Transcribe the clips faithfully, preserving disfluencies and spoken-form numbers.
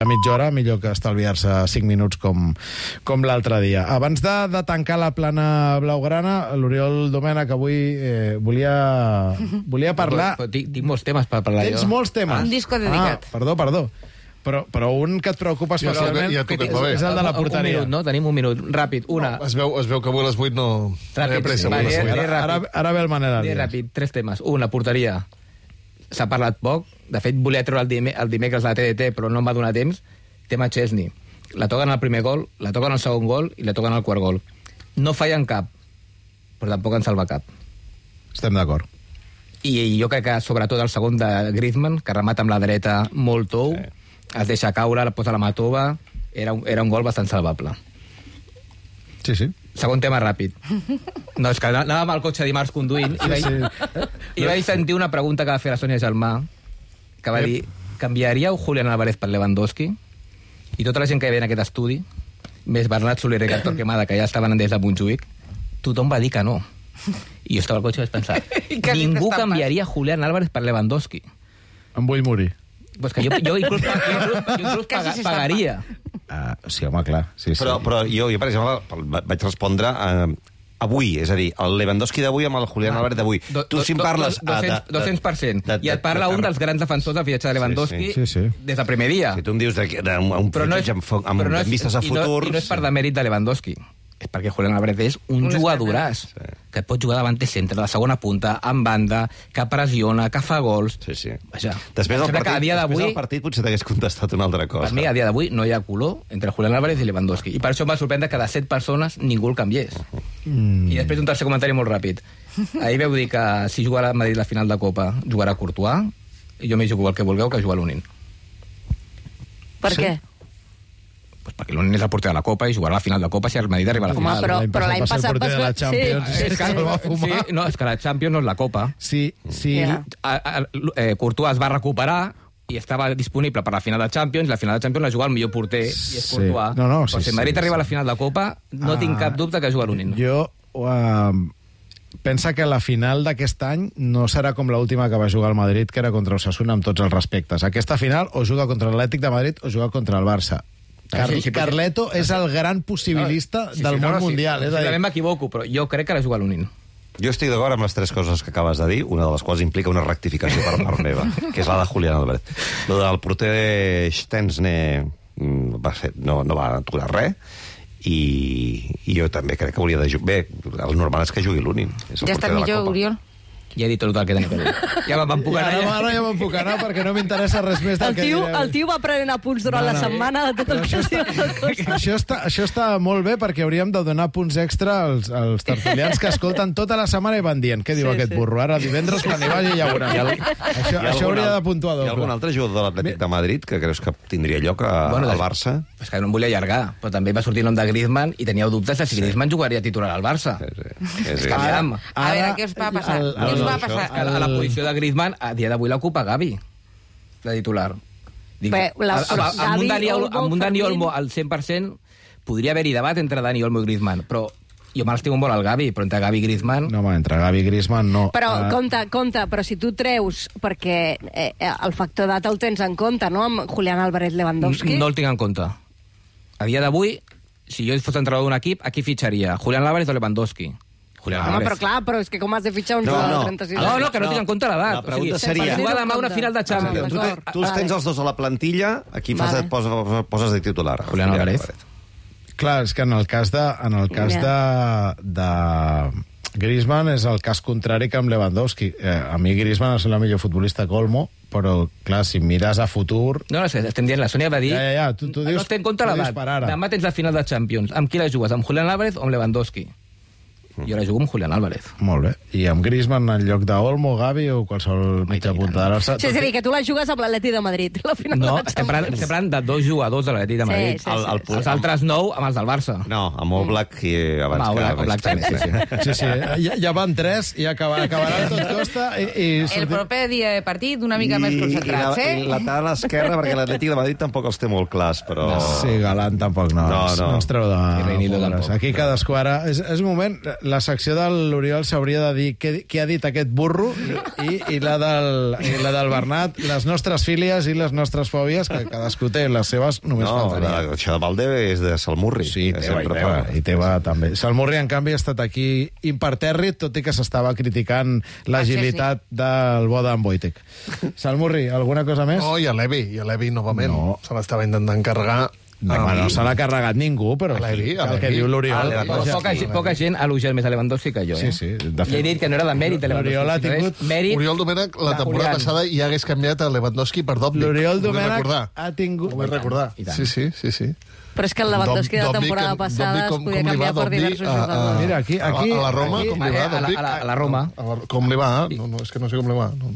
A mitja hora, millor que estalviar-se cinc minuts com, com l'altre dia. Abans de, de tancar la plana blaugrana, l'Oriol Domènech avui eh, volia, volia parlar... Però, però, tinc, tinc molts temes per parlar Tens jo. molts temes. Un disco dedicat. Ah, perdó, perdó. Però, però un que et preocupa especialment ja toca, va bé. és el de la porteria. Un minut, no? Tenim un minut. Ràpid, una. No, es, veu, es veu que avui a les vuit no... Ràpid, no hi ha pressa, sí, avui a les va, vuit. ja- Ara, ara, ara ve el Manel Bé, Arias. ràpid, tres temes. Un, la porteria. S'ha parlat poc. De fet, volia treure el, dime, el dimecres de la T D T, però no em va donar temps. Tema Chesney. La toquen al primer gol, la toquen al segon gol i la toquen al quart gol. No fallen cap, però tampoc en salva cap. Estem d'acord. I, I jo crec que, sobretot, el segon de Griezmann, que remata amb la dreta molt tou, sí. Es deixa caure, la posa a la matova, era un, era un gol bastant salvable. Sí, sí. Segon tema ràpid. No, és que anàvem al cotxe dimarts conduint i vaig, sí. i vaig sentir una pregunta que va fer la Sònia Gelmà, que va dir, canviaríeu Julián Álvarez per Lewandowski? I tota la gent que hi havia en aquest estudi, més Bernat Soler i Héctor Quemada, que ja estaven des de Montjuïc, tothom va dir que no. I jo estava al cotxe i vaig pensar, ningú canviaria Julián Álvarez per Lewandowski. Em vull morir. Pues que jo, jo inclús, jo inclús, jo inclús paga, pagaria. Uh, sí, home, clar. Sí, sí. Però, però jo, jo, per exemple, vaig respondre eh, avui, és a dir, el Lewandowski d'avui amb el Julián Álvarez d'avui. Do, Tu do, si em parles... do, do, dos-cents per cent. I et parla un dels grans defensors del fiatge de Lewandowski sí, sí. des del primer dia. Si tu em dius d'un fitxatge amb, amb, no és, amb vistes a i no, futur... I no és per demèrit de Lewandowski. És perquè Julián Álvarez és un, un jugadoràs, sí. Que et pot jugar davant de centre, de la segona punta, en banda, que pressiona, que fa gols... Sí, sí. Vaja, després del partit, dia després del partit potser t'hagués contestat una altra cosa. Per mi, a dia d'avui, no hi ha color entre Julián Álvarez i Lewandowski. I per això em va sorprendre que de set persones ningú el canviés. Uh -huh. mm. I després un tercer comentari molt ràpid. Ahir veu dir que si jugarà a Madrid la final de Copa, jugarà Courtois, i jo m'hi jugo el que vulgueu, que jugar l'Unin. Per Sí? què? Pues perquè l'Unin és el porter de la Copa i jugarà a la final de Copa si el Madrid arriba a la Home, final. però- però l'any va ser el passat porter vas de la ver- Champions. sí, Sí, sí, és que sí. el va fumar. Sí, no, és que la Champions no és la Copa. Sí, sí. Ja. A, a, eh, Courtois es va recuperar i estava disponible per la final de Champions, i la final de Champions la juga el millor porter, i és Sí. Courtois. No, no, Però sí, si el Madrid sí, arriba sí. a la final de Copa, no Ah, tinc cap dubte que juga l'Unin. Jo... Uh, pensa que la final d'aquest any no serà com l'última que va jugar el Madrid, que era contra Osasuna, amb tots els respectes. Aquesta final o juga contra l'Atlètic de Madrid o juga contra el Barça. Car sí, sí, Carleto és el gran possibilista No, sí, sí, del no, món no, sí, mundial. És a dir, Segurament m'equivoco, però jo crec que la juga l'Unin. Jo estic d'acord amb les tres coses que acabes de dir, una de les quals implica una rectificació per part meva, que és la de Julián Álvarez. Lo del porter Stensne mm, va ser, no, no va aturar res, i, i jo també crec que hauria de jugar. Bé, el normal és que jugui l'Unin. És el Ja porter està de la millor, Copa. Oriol? Ja he dit tot el que tenia per dir. Ja me'n puc ja, anar. ara, Ja. ara ja me'n puc anar perquè no m'interessa res més del El que tio, direu. el tio va prenent apunts durant No, la no. setmana de tot el Però que això es diu al costat. Això està, això està molt bé perquè hauríem de donar punts extra als, als tertulians que escolten tota la setmana i van dient què diu Sí, aquest sí. burro. Ara divendres quan hi vagi ja veurà. Hi ha- Això, Hi ha això algun hauria al- de puntuar Hi ha algun doble. altre jugador de l'Atlètic de Madrid que creus que tindria lloc a, Bueno, al de- Barça? És que no em volia allargar, però també va sortir el nom de Griezmann i teníeu dubtes de si sí. Griezmann jugaria titular al Barça. Sí, sí. Sí, És sí. que, aviam, A veure, què us va passar? el- Què us el- va això- passar? és que a la posició de Griezmann, a dia d'avui l'ocupa Gavi, de titular. Dic, Bé, la- amb, amb, amb, Gavi, un Dani, Olmo, Olmo, amb un Dani Fermín. Olmo al cent per cent podria haver-hi debat entre Dani Olmo i Griezmann, però jo me l'estimo molt al Gavi, però entre Gavi i Griezmann... No, home, entre Gavi i Griezmann no. Però, Uh, compte, compte, però si tu treus, perquè eh, el factor data el tens en compte, no?, amb Julián Álvarez Lewandowski. No el tinc en compte. A dia d'avui, si jo fos entrenador d'un equip, a qui fitxaria? Julián Álvarez o Lewandowski? Julián Home, Álvarez. però clar, però és que com has de fitxar un No, jugador no. de trenta-sis No, anys? no, que no, No. tinc en compte l'edat. La pregunta o sigui, seria- si jugar demà una final de Champions. Ah, Tu, d'acord. te, tu els tens els dos a la plantilla, aquí fas, Vale. et poses, poses de titular. Julián Álvarez. Clar, és que en el cas de, en el cas de, de Griezmann és el cas contrari que amb Lewandowski. Eh, a mi Griezmann és el millor futbolista que Olmo, però, clar, si mires a futur... No, no, estem dient, la Sònia va dir... Ja, ja, ja, tu- tu dius- no té en compte tu l'edat. dius per ara. Demà tens la final de Champions. Amb qui la jugues? Amb Julián Álvarez o amb Lewandowski? Jo la jugo amb Julián Álvarez. Molt bé. I amb Griezmann en lloc d'Olmo, Gavi o qualsevol mitja punta de l'Arsa... Sí, és a dir, que tu la jugues amb l'Atleti de Madrid, la final No, de estem parlant, estem parlant de dos jugadors de l'Atlètic de Sí, Madrid. sí, el, el, sí, els altres nou amb els del Barça. No, amb Oblak i abans Home, que... Oblak, Oblak també, sí, sí. Sí, sí, ja, ja van tres i acabar, acabarà tot costa i... i El sortim- proper dia de partit una mica més I, concentrats, i, la, eh? I la tal esquerra, perquè l'Atlètic de Madrid tampoc els té molt clars, però... Sí, Galán tampoc no, No, ens- no. no ens treu de... I Reinildo pobres. tampoc. Aquí cadascú ara... És, és un moment... la secció de l'Oriol s'hauria de dir què, què ha dit aquest burro i, i, la del, i la del Bernat, les nostres fílies i les nostres fòbies, que cadascú té les seves, només No, faltaria. la, això de Valde és de Salmurri. Sí, que teva, i sempre teva, fa- i teva també. Salmurri, en canvi, ha estat aquí impertèrrit, tot i que s'estava criticant l'agilitat del bo d'en Wojtek. Salmurri, alguna cosa més? No, i a l'Evi, i a l'Evi novament. No. Se l'estava intentant carregar. No, home, no se l'ha carregat ningú, però A l'Evi, a el que l'Evi. diu l'Oriol... A Lewandowski. Poca, gent- poca gent ha elogiat més a Lewandowski que jo, eh? Sí, sí, de I he fet. dit que no era de mèrit de Lewandowski. L'Oriol ha sinó és tingut- Mèrit Oriol Domènech, la de temporada Julián. passada ja hagués canviat a Lewandowski per Dòbnik. L'Oriol Ho vull Domènech recordar. ha tingut... Ho vull recordar. I tant. Sí, sí, sí, sí. Però és que el Lewandowski de la Dòbnik, temporada Dòbnik, passada es com- podia com li va canviar per Dòbnik diversos a- a- jugadors. Mira, aquí- aquí- a la Roma, aquí- com li va, a la- Dòbnik? a la- a la Roma. A la- Com li va? No, no, és que no sé com li va. No,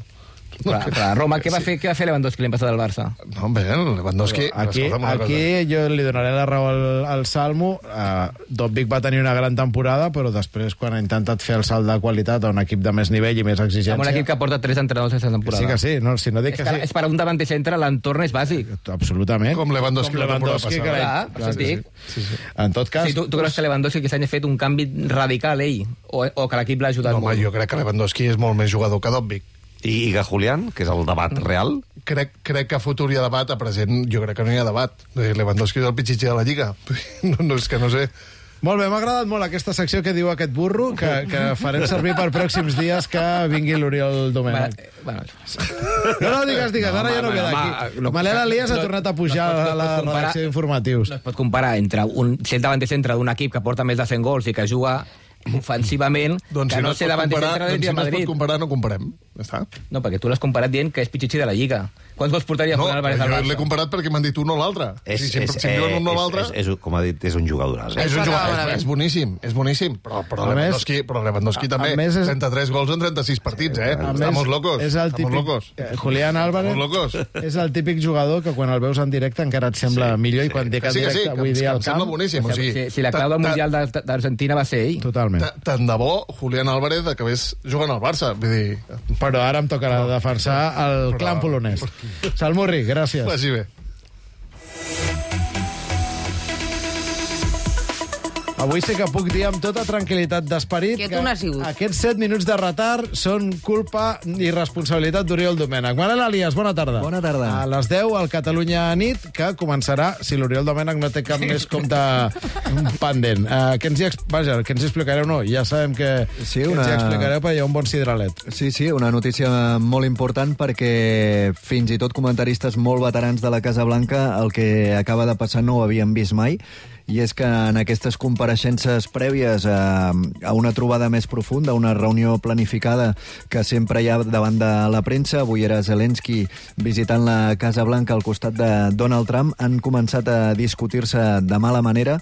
Clar, clar, Roma, què va fer, què va fer Lewandowski l'any passat del Barça? no bé, el Lewandowski... Aquí, escolta'm una aquí jo li donaré la raó al, al Salmo. Uh, Dòbnik va tenir una gran temporada, però després, quan ha intentat fer el salt de qualitat a un equip de més nivell i més exigència... Amb un equip que porta tres entrenadors aquesta temporada. Sí que sí, no, si no dic És, que que, sí. és per a un davanter centre, l'entorn és bàsic. Absolutament. Com Lewandowski la temporada Lewandowski, passada. que Clar, clar, això sí, dic. sí. Sí, sí. En tot cas... Sí, tu, tu creus que Lewandowski aquest any ha fet un canvi radical, ell? O, o que l'equip l'ha ajudat No, home, molt? jo crec que Lewandowski és molt més jugador que Dòbnik. I, i Gajulián, que és el debat real, Crec, crec que a futur hi ha debat, a present jo crec que no hi ha debat. Eh, Lewandowski és el pitxitxer de la Lliga. No, no, és que no sé... Molt bé, m'ha agradat molt aquesta secció que diu aquest burro, que, que farem servir per pròxims dies que vingui l'Oriol Domènech. Bueno, No, no, digues, digues, ara ja no home, queda home, aquí. no- Manel Elias ha no- tornat a pujar no es pot- a la no es pot comparar- redacció d'informatius. no es pot comparar entre un, ser el davanter centre d'un equip que porta més de cent gols i que juga ofensivament, Doncs que si no, no, es ser pot davanter comparar, centre del doncs si Real no es pot Madrid. comparar, no comparem. Ja està. No, perquè tu l'has comparat dient que és pitxitxi de la Lliga. Quants gols portaria No, Julián Álvarez jo al l'he Barça? comparat perquè m'han dit un o l'altre. és, Si, si, és, si em diuen un o és, l'altre... és, és, com ha dit, és un jugador. És, Eh? un Això jugador, acaba és, és boníssim, és boníssim, però, però, A més- Lewandowski, però Lewandowski també, a més és- trenta-tres gols en trenta-sis partits, eh? A Estamos més, locos, És el estamos típic, locos. eh, Julián Álvarez Estamos locos. és el típic jugador que quan el veus en directe encara et sembla Sí, millor sí. i quan dic Que en sí, que sí, directe que, vull em- dir que al em sembla camp. boníssim. O sigui, Si, si la ta- clau del ta- Mundial d'Ar- d'Argentina va ser ell. Totalment. ta- Tant de bo Julián Álvarez acabés jugant al Barça. Vull dir, Però ara em tocarà defensar el Però- clan polonès. Salmurri, gràcies. vagi bé. Avui sí que puc dir amb tota tranquil·litat d'esperit Que tu n'has sigut. aquests set minuts de retard són culpa i responsabilitat d'Oriol Domènech. Manel Elias, bona tarda. Bona tarda. A les deu, al Catalunya Nit, que començarà, si l'Oriol Domènech no té cap més compte pendent. Uh, que ens hi, ex- vaja, que ens hi explicareu, no, ja sabem que, Sí, que una- ens hi explicareu, perquè hi ha un bon sidralet. Sí, sí, una notícia molt important perquè fins i tot comentaristes molt veterans de la Casa Blanca el que acaba de passar no ho havien vist mai, i és que en aquestes compareixences prèvies a, a una trobada més profunda, una reunió planificada que sempre hi ha davant de la premsa, avui era Zelensky visitant la Casa Blanca al costat de Donald Trump, han començat a discutir-se de mala manera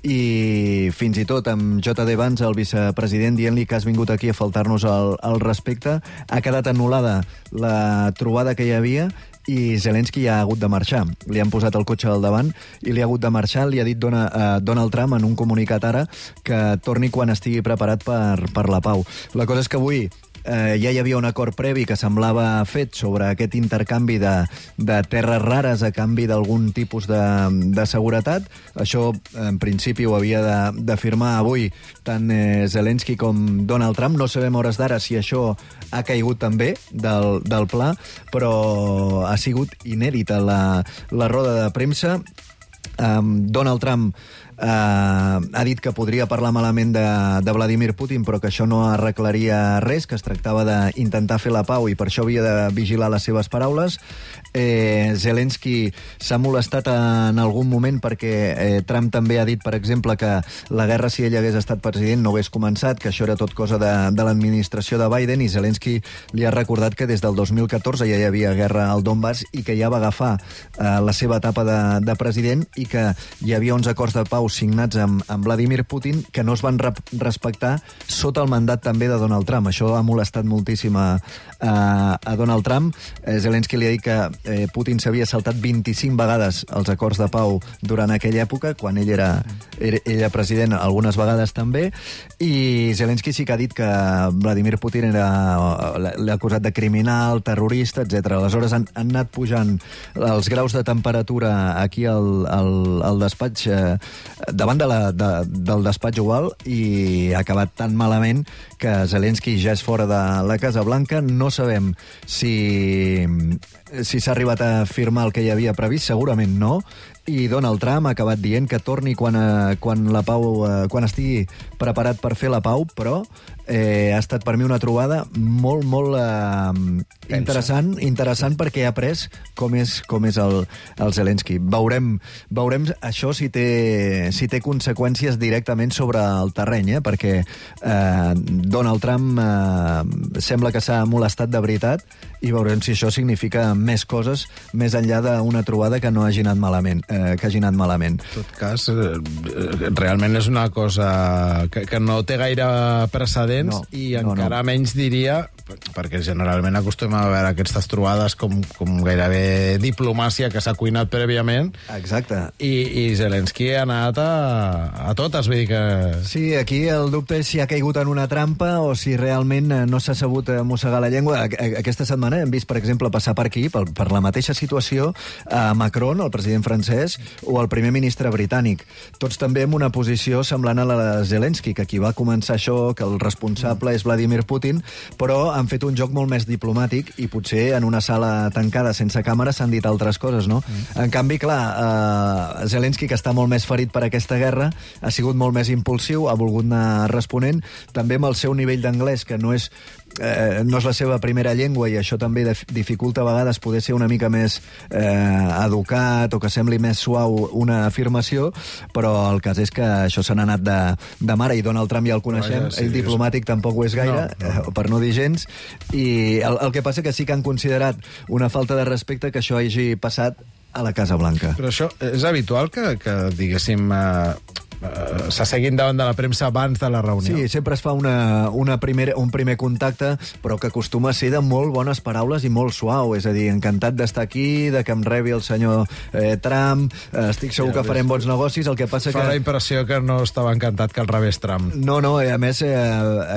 i fins i tot amb J D Vance, el vicepresident, dient-li que has vingut aquí a faltar-nos el, el respecte, ha quedat anul·lada la trobada que hi havia i Zelensky ha hagut de marxar. Li han posat el cotxe al davant i li ha hagut de marxar. Li ha dit dona, uh, Donald Trump en un comunicat ara que torni quan estigui preparat per, per la pau. La cosa és que avui eh, ja hi havia un acord previ que semblava fet sobre aquest intercanvi de, de terres rares a canvi d'algun tipus de, de seguretat. Això, en principi, ho havia de, de firmar avui tant eh, Zelensky com Donald Trump. No sabem a hores d'ara si això ha caigut també del, del pla, però ha sigut inèdita la, la roda de premsa. Um, Donald Trump uh, ha dit que podria parlar malament de, de Vladimir Putin, però que això no arreglaria res, que es tractava d'intentar fer la pau i per això havia de vigilar les seves paraules. Eh, Zelensky s'ha molestat en algun moment perquè eh, Trump també ha dit, per exemple, que la guerra, si ell hagués estat president, no hagués començat, que això era tot cosa de, de l'administració de Biden, i Zelensky li ha recordat que des del dos mil catorze ja hi havia guerra al Donbass i que ja va agafar eh, la seva etapa de, de president i que hi havia uns acords de pau signats amb, amb Vladimir Putin que no es van re respectar sota el mandat també de Donald Trump. Això ha molestat moltíssim a, a, a Donald Trump. Eh, Zelensky li ha dit que eh, Putin s'havia saltat vint-i-cinc vegades els acords de pau durant aquella època, quan ell era, era, era president algunes vegades també, i Zelensky sí que ha dit que Vladimir Putin era l'ha acusat de criminal, terrorista, etcètera. Aleshores han, han anat pujant els graus de temperatura aquí al, al, al despatx eh, davant de la, de, del despatx oval i ha acabat tan malament que Zelensky ja és fora de la Casa Blanca. No sabem si, si s'ha arribat a firmar el que hi havia previst, segurament no, i Donald Trump ha acabat dient que torni quan, eh, quan, la pau, eh, quan estigui preparat per fer la pau, però eh, ha estat per mi una trobada molt, molt eh, interessant, interessant perquè ha après com és, com és el, el Zelensky. Veurem, veurem això si té, si té conseqüències directament sobre el terreny, eh? Perquè eh, Donald Trump eh, sembla que s'ha molestat de veritat i veurem si això significa més coses més enllà d'una trobada que no hagi anat malament. Eh, que hagi anat malament. En tot cas, eh, realment és una cosa que, que no té gaire precedents no, i no, encara no. menys diria, perquè generalment acostumem a veure aquestes trobades com, com gairebé diplomàcia que s'ha cuinat prèviament. Exacte. I, i Zelensky ha anat a, a totes, vull dir que... Sí, aquí el dubte és si ha caigut en una trampa o si realment no s'ha sabut mossegar la llengua. Aquesta setmana hem vist, per exemple, passar per aquí, per, per la mateixa situació, a Macron, el president francès, o el primer ministre britànic. Tots també amb una posició semblant a la de Zelensky, que qui va començar això, que el responsable és Vladimir Putin, però han fet un joc molt més diplomàtic i potser en una sala tancada sense càmera s'han dit altres coses, no? Mm. En canvi, clar, eh, Zelensky, que està molt més ferit per aquesta guerra, ha sigut molt més impulsiu, ha volgut anar responent, també amb el seu nivell d'anglès, que no és Eh, no és la seva primera llengua i això també dificulta a vegades poder ser una mica més eh, educat o que sembli més suau una afirmació, però el cas és que això se n'ha anat de, de mare i Donald Trump ja el coneixem, Vaja, sí, ell diplomàtic tampoc ho és gaire, no, no. Eh, per no dir gens, i el, el que passa que sí que han considerat una falta de respecte que això hagi passat a la Casa Blanca. Però això és habitual que, que diguéssim... Eh... Uh, s'asseguin davant de la premsa abans de la reunió. Sí, sempre es fa una, una primer, un primer contacte, però que acostuma a ser de molt bones paraules i molt suau, és a dir, encantat d'estar aquí, de que em rebi el senyor eh, Trump, eh, estic segur ja, que farem bons negocis, el que passa fa que... la impressió que no estava encantat que el rebés Trump. No, no, a més, eh,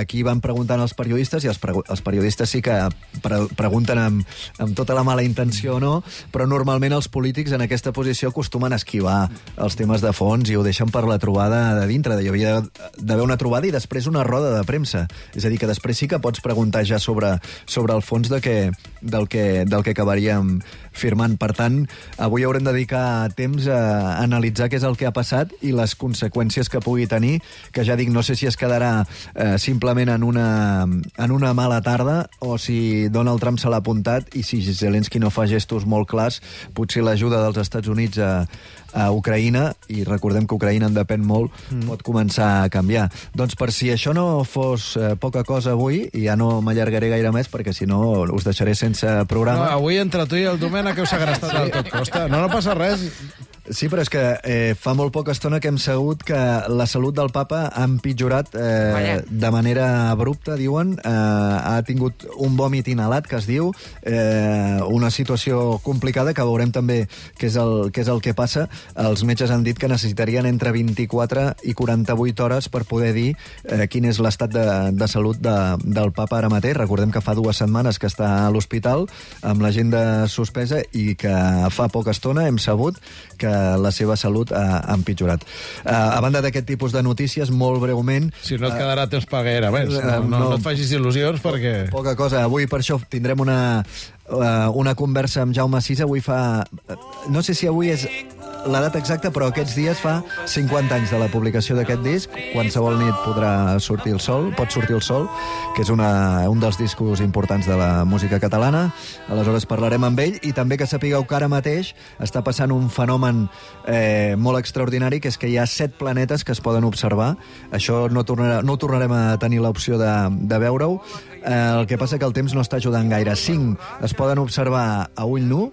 aquí van preguntant als periodistes, i els, pre els periodistes sí que pre pregunten amb, amb tota la mala intenció o no, però normalment els polítics en aquesta posició acostumen a esquivar els temes de fons i ho deixen per la trobada de dintre. Hi havia d'haver una trobada i després una roda de premsa. És a dir, que després sí que pots preguntar ja sobre, sobre el fons de que, del, que, del que acabaríem firmant. Per tant, avui haurem de dedicar temps a analitzar què és el que ha passat i les conseqüències que pugui tenir, que ja dic, no sé si es quedarà eh, simplement en una, en una mala tarda o si Donald Trump se l'ha apuntat i si Zelensky no fa gestos molt clars, potser l'ajuda dels Estats Units a, a Ucraïna, i recordem que Ucraïna en depèn molt, mm. pot començar a canviar. Doncs per si això no fos eh, poca cosa avui, i ja no m'allargaré gaire més, perquè si no us deixaré sense programa. No, avui entre tu i el Domènech heu segrestat sí. del tot costa. No, no passa res. Sí, però és que eh, fa molt poca estona que hem sabut que la salut del papa ha empitjorat eh, de manera abrupta, diuen. Eh, ha tingut un vòmit inhalat, que es diu, eh, una situació complicada que veurem també què és, el, què és el que passa. Els metges han dit que necessitarien entre vint-i-quatre i quaranta-vuit hores per poder dir eh, quin és l'estat de, de salut de, del papa ara mateix. Recordem que fa dues setmanes que està a l'hospital amb l'agenda suspesa i que fa poca estona hem sabut que la seva salut ha, ha empitjorat. Uh, a banda d'aquest tipus de notícies, molt breument... Si no et quedarà temps per gaire més. No, no, no, no et facis il·lusions perquè... Poca cosa. Avui per això tindrem una, uh, una conversa amb Jaume Sisa. Avui fa... No sé si avui és la data exacta, però aquests dies fa cinquanta anys de la publicació d'aquest disc. Qualsevol nit podrà sortir el sol, pot sortir el sol, que és una, un dels discos importants de la música catalana. Aleshores parlarem amb ell, i també que sapigueu que ara mateix està passant un fenomen eh, molt extraordinari, que és que hi ha set planetes que es poden observar. Això no, tornarà, no tornarem a tenir l'opció de, de veure-ho. Eh, el que passa que el temps no està ajudant gaire. Cinc es poden observar a ull nu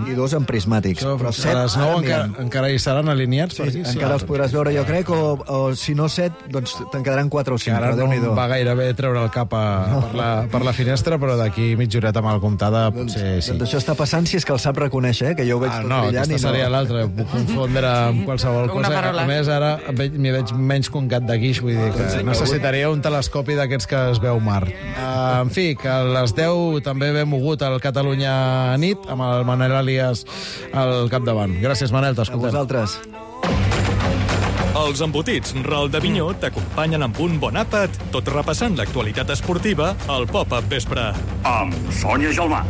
i dos en prismàtics. Això, però set, a les nou encara, encara hi seran alineats? Sí, per aquí? encara sí. Els podràs veure, jo crec, o, o si no set, doncs te'n quedaran quatre o cinc. Que ara no em va gairebé treure el cap a, no. per, la, per la finestra, però d'aquí mitja horeta mal comptada potser sí. Doncs això està passant, si és que el sap reconèixer, eh? Que jo ho veig ah, tot no, brillant. No, aquesta seria no. l'altra. Puc confondre amb qualsevol cosa. A més, ara m'hi veig menys que un gat de guix, vull dir que sí, necessitaria un telescopi d'aquests que es veu mar. Uh, en fi, que a les deu també ve mogut el Catalunya nit, amb el Manel Alias al capdavant. Gràcies, Manel, t'escoltem. A vosaltres. Els embotits Ral de Vinyó t'acompanyen amb un bon àpat, tot repassant l'actualitat esportiva al Pop-Up Vespre. Amb Sònia Gelmà.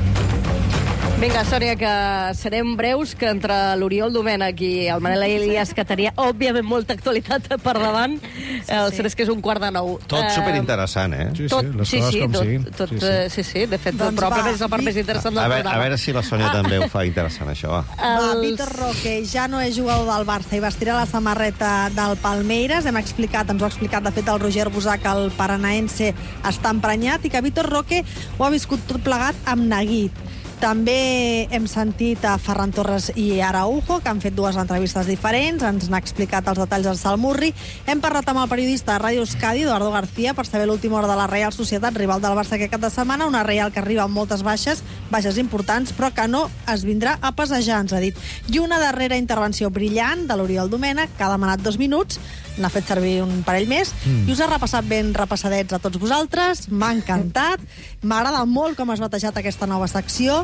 Vinga, Sònia, que serem breus, que entre l'Oriol Domènech i el Manel Elias, que tenia, òbviament, molta actualitat per davant, sí, el cert és que és un quart de nou. Tot superinteressant, eh? Sí, sí, Tot, les sí, coses sí, com tot, siguin. tot, Sí, sí, sí. sí, sí, de fet, Doncs probablement va, és el part més interessant del A veure, programa. a veure si la Sònia també ho fa interessant, això, va. Va, Els- Vitor Roque ja no és jugador del Barça i vestirà la samarreta del Palmeiras. Hem explicat, ens ho ha explicat, de fet, el Roger Busà, que el paranaense està emprenyat i que Vitor Roque ho ha viscut tot plegat amb neguit. També hem sentit a Ferran Torres i Araujo, que han fet dues entrevistes diferents, ens n'ha explicat els detalls del Salmurri. Hem parlat amb el periodista de Ràdio Euskadi, Eduardo García, per saber l'última hora de la Real Societat, rival del Barça aquest cap de setmana, una Real que arriba amb moltes baixes, baixes importants, però que no es vindrà a passejar, ens ha dit. I una darrera intervenció brillant de l'Oriol Domènech, que ha demanat dos minuts, n'ha fet servir un parell més, mm. i us ha repassat ben repassadets a tots vosaltres, m'ha encantat, m'agrada molt com has batejat aquesta nova secció.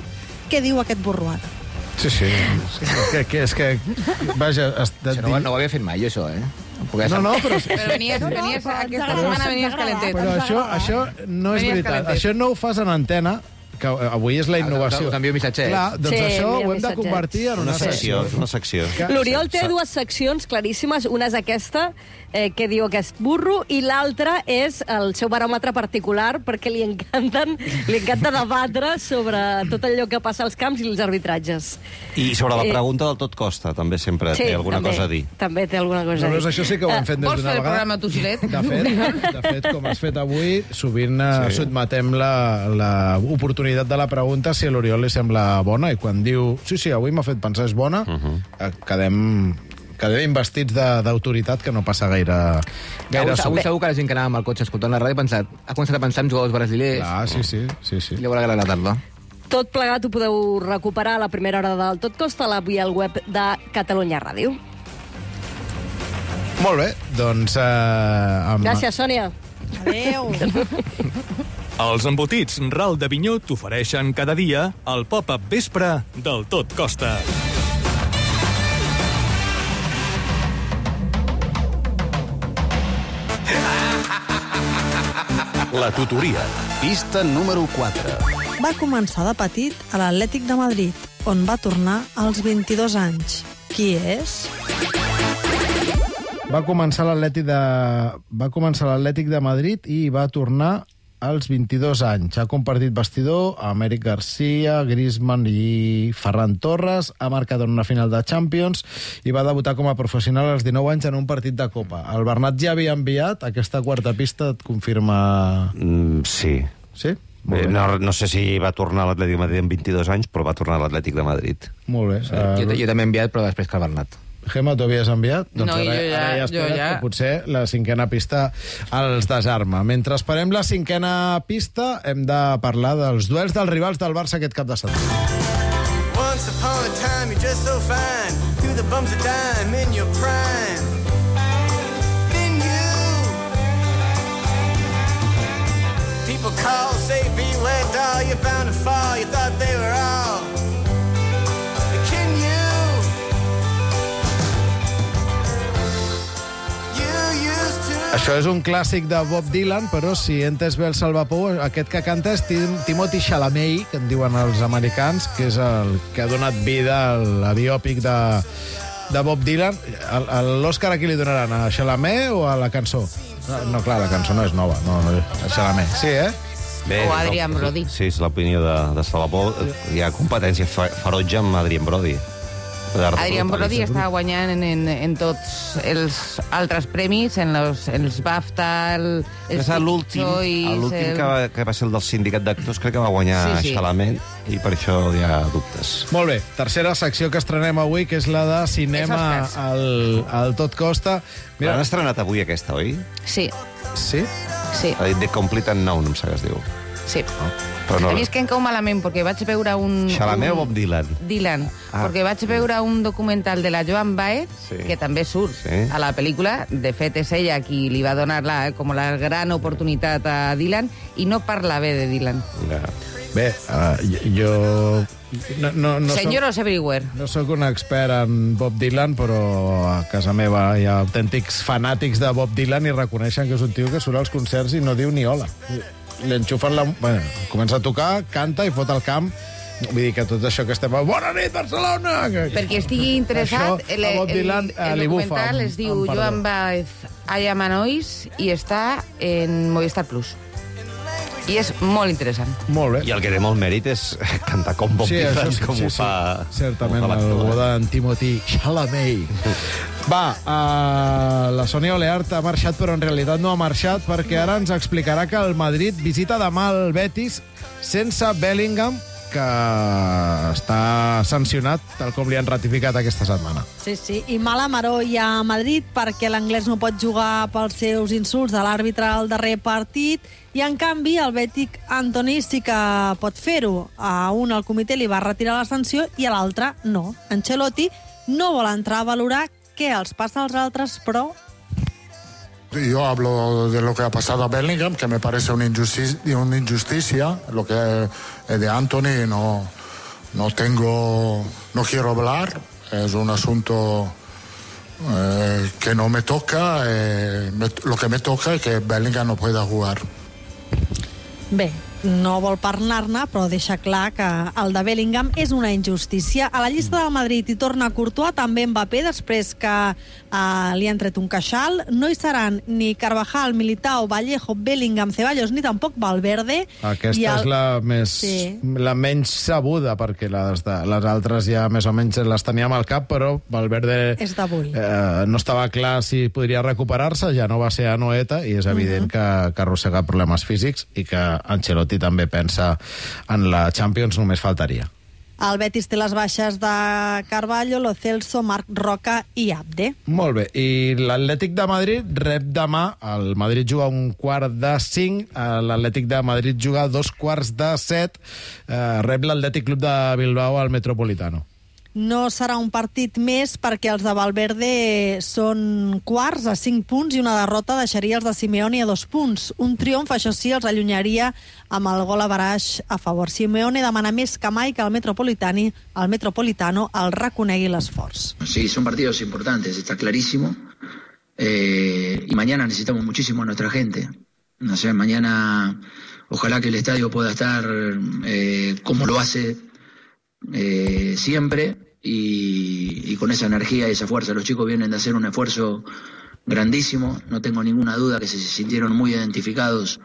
Què diu aquest burro ara? Sí, sí. És que, que, és que vaja... Es, Això no, no ho havia fet mai, jo, això, eh? No, no, però... Però venies, venies, aquesta setmana venies calentet. Però això, això no és Venies veritat. calentet. Això no ho fas en antena, que avui és la innovació. Us envio missatgets. Clar, doncs Sí, això ho envia hem de missatgets. convertir en una, Una secció, secció. una secció. L'Oriol té dues seccions claríssimes. Una és aquesta, eh, que diu aquest burro, i l'altra és el seu baròmetre particular, perquè li encanten, li encanta debatre sobre tot allò que passa als camps i els arbitratges. I sobre la Eh, pregunta del tot costa, també sempre té alguna també, cosa a dir. També té alguna cosa a dir. Aleshores, això sí que ho hem fet des Vols d'una fer el vegada. programa tu, Gilet? De fet, de fet, com has fet avui, sovint eh, Sí. sotmetem l'oportunitat de la pregunta si a l'Oriol li sembla bona, i quan diu sí, sí, avui m'ha fet pensar és bona, uh -huh. eh, quedem, quedem investits de- d'autoritat, que no passa gaire, gaire Avui, avui sovint. segur que la gent que anava amb el cotxe escoltant la ràdio ha, pensat, ha començat a pensar en jugadors brasilers. Ah, sí, sí, sí, sí. I li haurà agradat la tarda. Tot plegat ho podeu recuperar a la primera hora del Tot Costa, a la via al web de Catalunya Ràdio. Molt bé, doncs... Eh, amb... Gràcies, Sònia. Adéu. Els embotits Ral de Vinyó t'ofereixen cada dia el Pop-Up Vespre del Tot Costa. La tutoria. Pista número quatre. Va començar de petit a l'Atlètic de Madrid, on va tornar als vint-i-dos anys. Qui és? Va començar l'Atlètic de... va començar l'Atlètic de Madrid i va tornar als vint-i-dos anys. Ha compartit vestidor amb Eric Garcia, Griezmann i Ferran Torres, ha marcat en una final de Champions i va debutar com a professional als dinou anys en un partit de Copa. El Bernat ja havia enviat aquesta quarta pista, et confirma... Mm, sí. Sí? Eh, Molt bé. no, no sé si va tornar a l'Atlètic de Madrid amb vint-i-dos anys, però va tornar a l'Atlètic de Madrid. Molt bé. Jo, Uh, jo també he enviat, però després que el Bernat. Gemma, t'ho havies enviat? Doncs No, ara, jo ja- ara ja jo espera't ja. que potser la cinquena pista els desarma. Mentre esperem la cinquena pista, hem de parlar dels duels dels rivals del Barça aquest cap de setmana. Once upon a time, you're just so fine. Through the bumps of dime in your prime. Then you. People call, say, beware, doll, you're bound to fall. You thought they were all. Can you? You used to. Això és un clàssic de Bob Dylan, però si entes bé el Salvapou, aquest que canta és Tim Timothy Chalamet, que en diuen els americans, que és el que ha donat vida a la biòpic de, de Bob Dylan. El- el- L'Òscar a qui li donaran? A Chalamet o a la cançó? No, no, clar, la cançó no és nova. No, no, a Chalamet. Sí, eh? Bé, O Adrian Brody. Sí, és l'opinió de, de Salvapou. Hi ha competència fe- ferotge amb Adrian Brody. Adrian Brody està guanyant en, en, en tots els altres premis, en els, els BAFTA, el, els És l'últim Choice, l'últim el- que, va, que va ser el del sindicat d'actors, crec que va guanyar Sí, sí. Chalamet, i per això hi ha dubtes. Molt bé, tercera secció que estrenem avui, que és la de cinema Els Oscars. al, al Tot Costa. Mira, han estrenat avui aquesta, oi? Sí, Sí? sí. Ha dit The Complete Unknown, em sap que es diu. Sí. No? Però no... A mi és que em cau malament, perquè vaig veure un... Chalamet un... o Bob Dylan? Dylan, Ah. perquè vaig veure un documental de la Joan Baez, Sí. que també surt Sí. a la pel·lícula. De fet, és ella qui li va donar la, com la gran oportunitat a Dylan, i no parla bé de Dylan. Ja. Bé, uh, jo... No, no, no Senyoros everywhere. No sóc un expert en Bob Dylan, però a casa meva hi ha autèntics fanàtics de Bob Dylan i reconeixen que és un tio que surt als concerts i no diu ni hola. Li enxufen la... Bueno, comença a tocar, canta i fot el camp. Vull dir que tot això que estem... Bona nit, Barcelona! Que... Perquè estigui interessat, Això, el, a Bob el, Dylan, el, eh, li bufa, documental amb- es diu amb perdó. Joan Baez I Am a Noise i està en Movistar Plus. I és molt interessant. Molt bé. I el que té molt mèrit és cantar com Bob Sí, Dylan, això sí, com sí, ho sí. fa... Certament, com ho fa el l'actor, bo eh? d'en Timothy Chalamet. Va, uh, la Sònia Oleart ha marxat, però en realitat no ha marxat, perquè ara ens explicarà que el Madrid visita demà el Betis sense Bellingham, que està sancionat, tal com li han ratificat aquesta setmana. Sí, sí, i mala maró hi ha a Madrid perquè l'anglès no pot jugar pels seus insults de l'àrbitre al darrer partit i, en canvi, el bètic Antoni sí que pot fer-ho. A un el comitè li va retirar la sanció i a l'altre no. Ancelotti no vol entrar a valorar què els passa als altres, però... Yo hablo de lo que ha pasado a Bellingham, que me parece una injusticia, una injusticia. Lo que es de Anthony no, no tengo, no quiero hablar. Es un asunto eh, que no me toca. Eh, me, lo que me toca es que Bellingham no pueda jugar. Bé, no vol parlar-ne, però deixa clar que el de Bellingham és una injustícia. A la llista del Madrid hi torna Courtois, també Mbappé, després que eh, li han tret un queixal. No hi seran ni Carvajal, Militao, Vallejo, Bellingham, Ceballos, ni tampoc Valverde. Aquesta I el... és la més Sí. la menys sabuda, perquè les, de, les altres ja més o menys les teníem al cap, però Valverde És d'avui. eh, no estava clar si podria recuperar-se, ja no va ser a Noeta, i és evident Mhm. que, que arrossega problemes físics i que Ancelotti també pensa en la Champions, només faltaria. El Betis té les baixes de Carvalho, Lo Celso, Marc Roca i Abde. Molt bé, i l'Atlètic de Madrid rep demà, el Madrid juga un quart de cinc, eh, l'Atlètic de Madrid juga dos quarts de set, eh, rep l'Atlètic Club de Bilbao al Metropolitano. No serà un partit més perquè els de Valverde són quarts a cinc punts i una derrota deixaria els de Simeone a dos punts. Un triomf, això sí, els allunyaria amb el gol a baraix a favor. Simeone demana més que mai que el Metropolitani, el Metropolitano el reconegui l'esforç. Sí, son partidos importantes, está clarísimo. Eh, y mañana necesitamos muchísimo a nuestra gente. No sé, mañana ojalá que el estadio pueda estar eh, como lo hace eh, siempre y, y con esa energía y esa fuerza. Los chicos vienen de hacer un esfuerzo grandísimo. No tengo ninguna duda que se sintieron muy identificados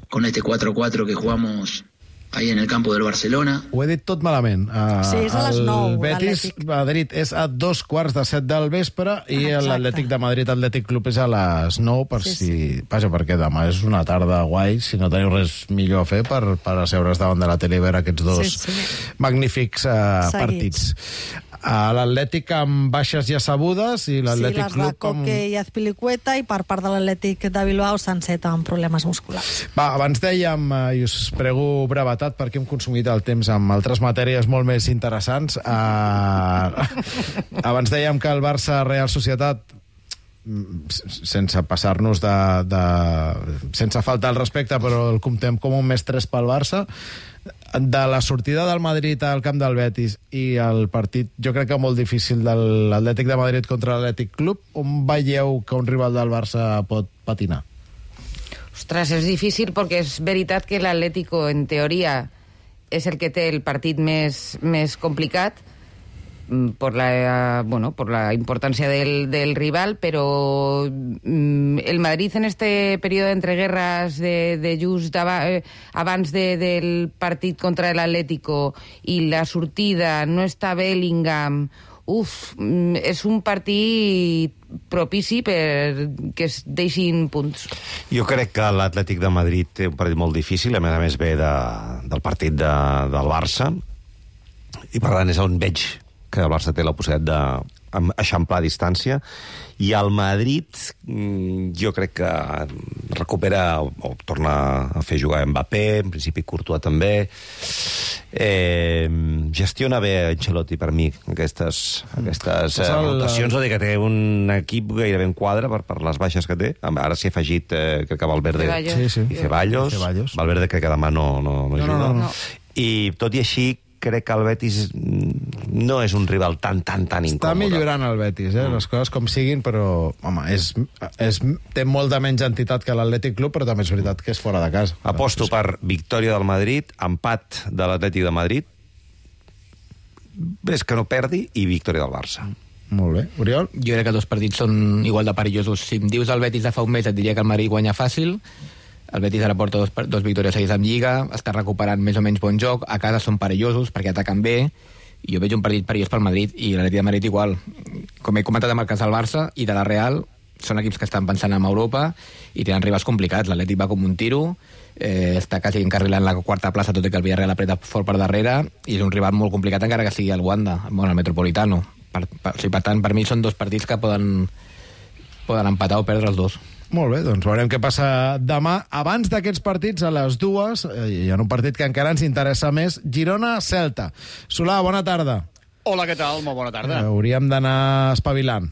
con este cuatro cuatro que jugamos ahí en el campo del Barcelona. Ho he dit tot malament. Uh, Sí, és a les nou, El Betis l'Atlètic. Madrid és a dos quarts de set del vespre i Exacte. l'Atlètic de Madrid Atlètic Club és a les nou, per Sí, si... Vaja, perquè demà és una tarda guai, si no teniu res millor a fer per, per asseure's davant de la tele i veure aquests dos Sí, sí. magnífics uh, Seguits. partits. Uh, L'Atlètic amb baixes ja sabudes i Sí, l'Atlètic les de Club com... Coque i Azpilicueta, i per part de l'Atlètic de Bilbao s'enceta amb problemes musculars. Va, abans dèiem, eh, i us prego brevetat perquè hem consumit el temps amb altres matèries molt més interessants. Uh, abans dèiem que el Barça-Real Societat, mm, s- sense passar-nos de, de... sense faltar el respecte, però el comptem com un més tres pel Barça, de la sortida del Madrid al camp del Betis i el partit, jo crec que molt difícil, de l'Atlètic de Madrid contra l'Atlètic Club, on veieu que un rival del Barça pot patinar? Ostres, és difícil perquè és veritat que l'Atlético, en teoria, és el que té el partit més, més complicat mm, por la, bueno, por la importancia del, del rival, pero mm, el Madrid en este periodo de entreguerras de, de just ava, eh, abans de, del partit contra l'Atlético i la sortida, no està Bellingham, uf, mm, és un partit propici per que es deixin punts. Jo crec que l'Atlètic de Madrid té un partit molt difícil, a més a més ve de, del partit de, del Barça, i per tant és on veig que el Barça té la possibilitat d'eixamplar distància, i el Madrid, mm, jo crec que recupera o, o torna a fer jugar Mbappé, en principi Courtois també. Eh, gestiona bé Ancelotti per mi aquestes, aquestes eh, rotacions, o dir que té un equip gairebé en quadre per, per les baixes que té. Ara s'hi ha afegit, eh, crec que Valverde Ceballos. sí, sí. i Ceballos. Ceballos. Valverde crec que demà no, no, no, no, no, no, no. I tot i així crec que el Betis no és un rival tan, tan, tan incòmode. Està millorant el Betis, eh? Les coses com siguin, però, home, és, és, té molta menys entitat que l'Atlètic Club, però també és veritat que és fora de casa. Aposto per victòria del Madrid, empat de l'Atlètic de Madrid, és que no perdi, i victòria del Barça. Molt bé. Oriol? Jo crec que dos partits són igual de perillosos. Si em dius el Betis de fa un mes, et diria que el Madrid guanya fàcil. El Betis ara porta dos, dos victòries seguides en Lliga, està recuperant més o menys bon joc, a casa són perillosos perquè ataquen bé, i jo veig un partit perillós pel Madrid, i l'Atlètic de Madrid igual. Com he comentat amb el cas del Barça i de la Real, són equips que estan pensant en Europa i tenen rivals complicats. L'Atlètic va com un tiro, eh, està quasi encarrilant la quarta plaça, tot i que el Villarreal apreta fort per darrere, i és un rival molt complicat encara que sigui el Wanda, bueno, el Metropolitano. Per, per, o sigui, per tant, per mi són dos partits que poden, poden empatar o perdre els dos. Molt bé, doncs veurem què passa demà. Abans d'aquests partits, a les dues, eh, hi ha un partit que encara ens interessa més, Girona-Celta. Solà, bona tarda. Hola, què tal? Molt bona tarda. Eh, hauríem d'anar espavilant.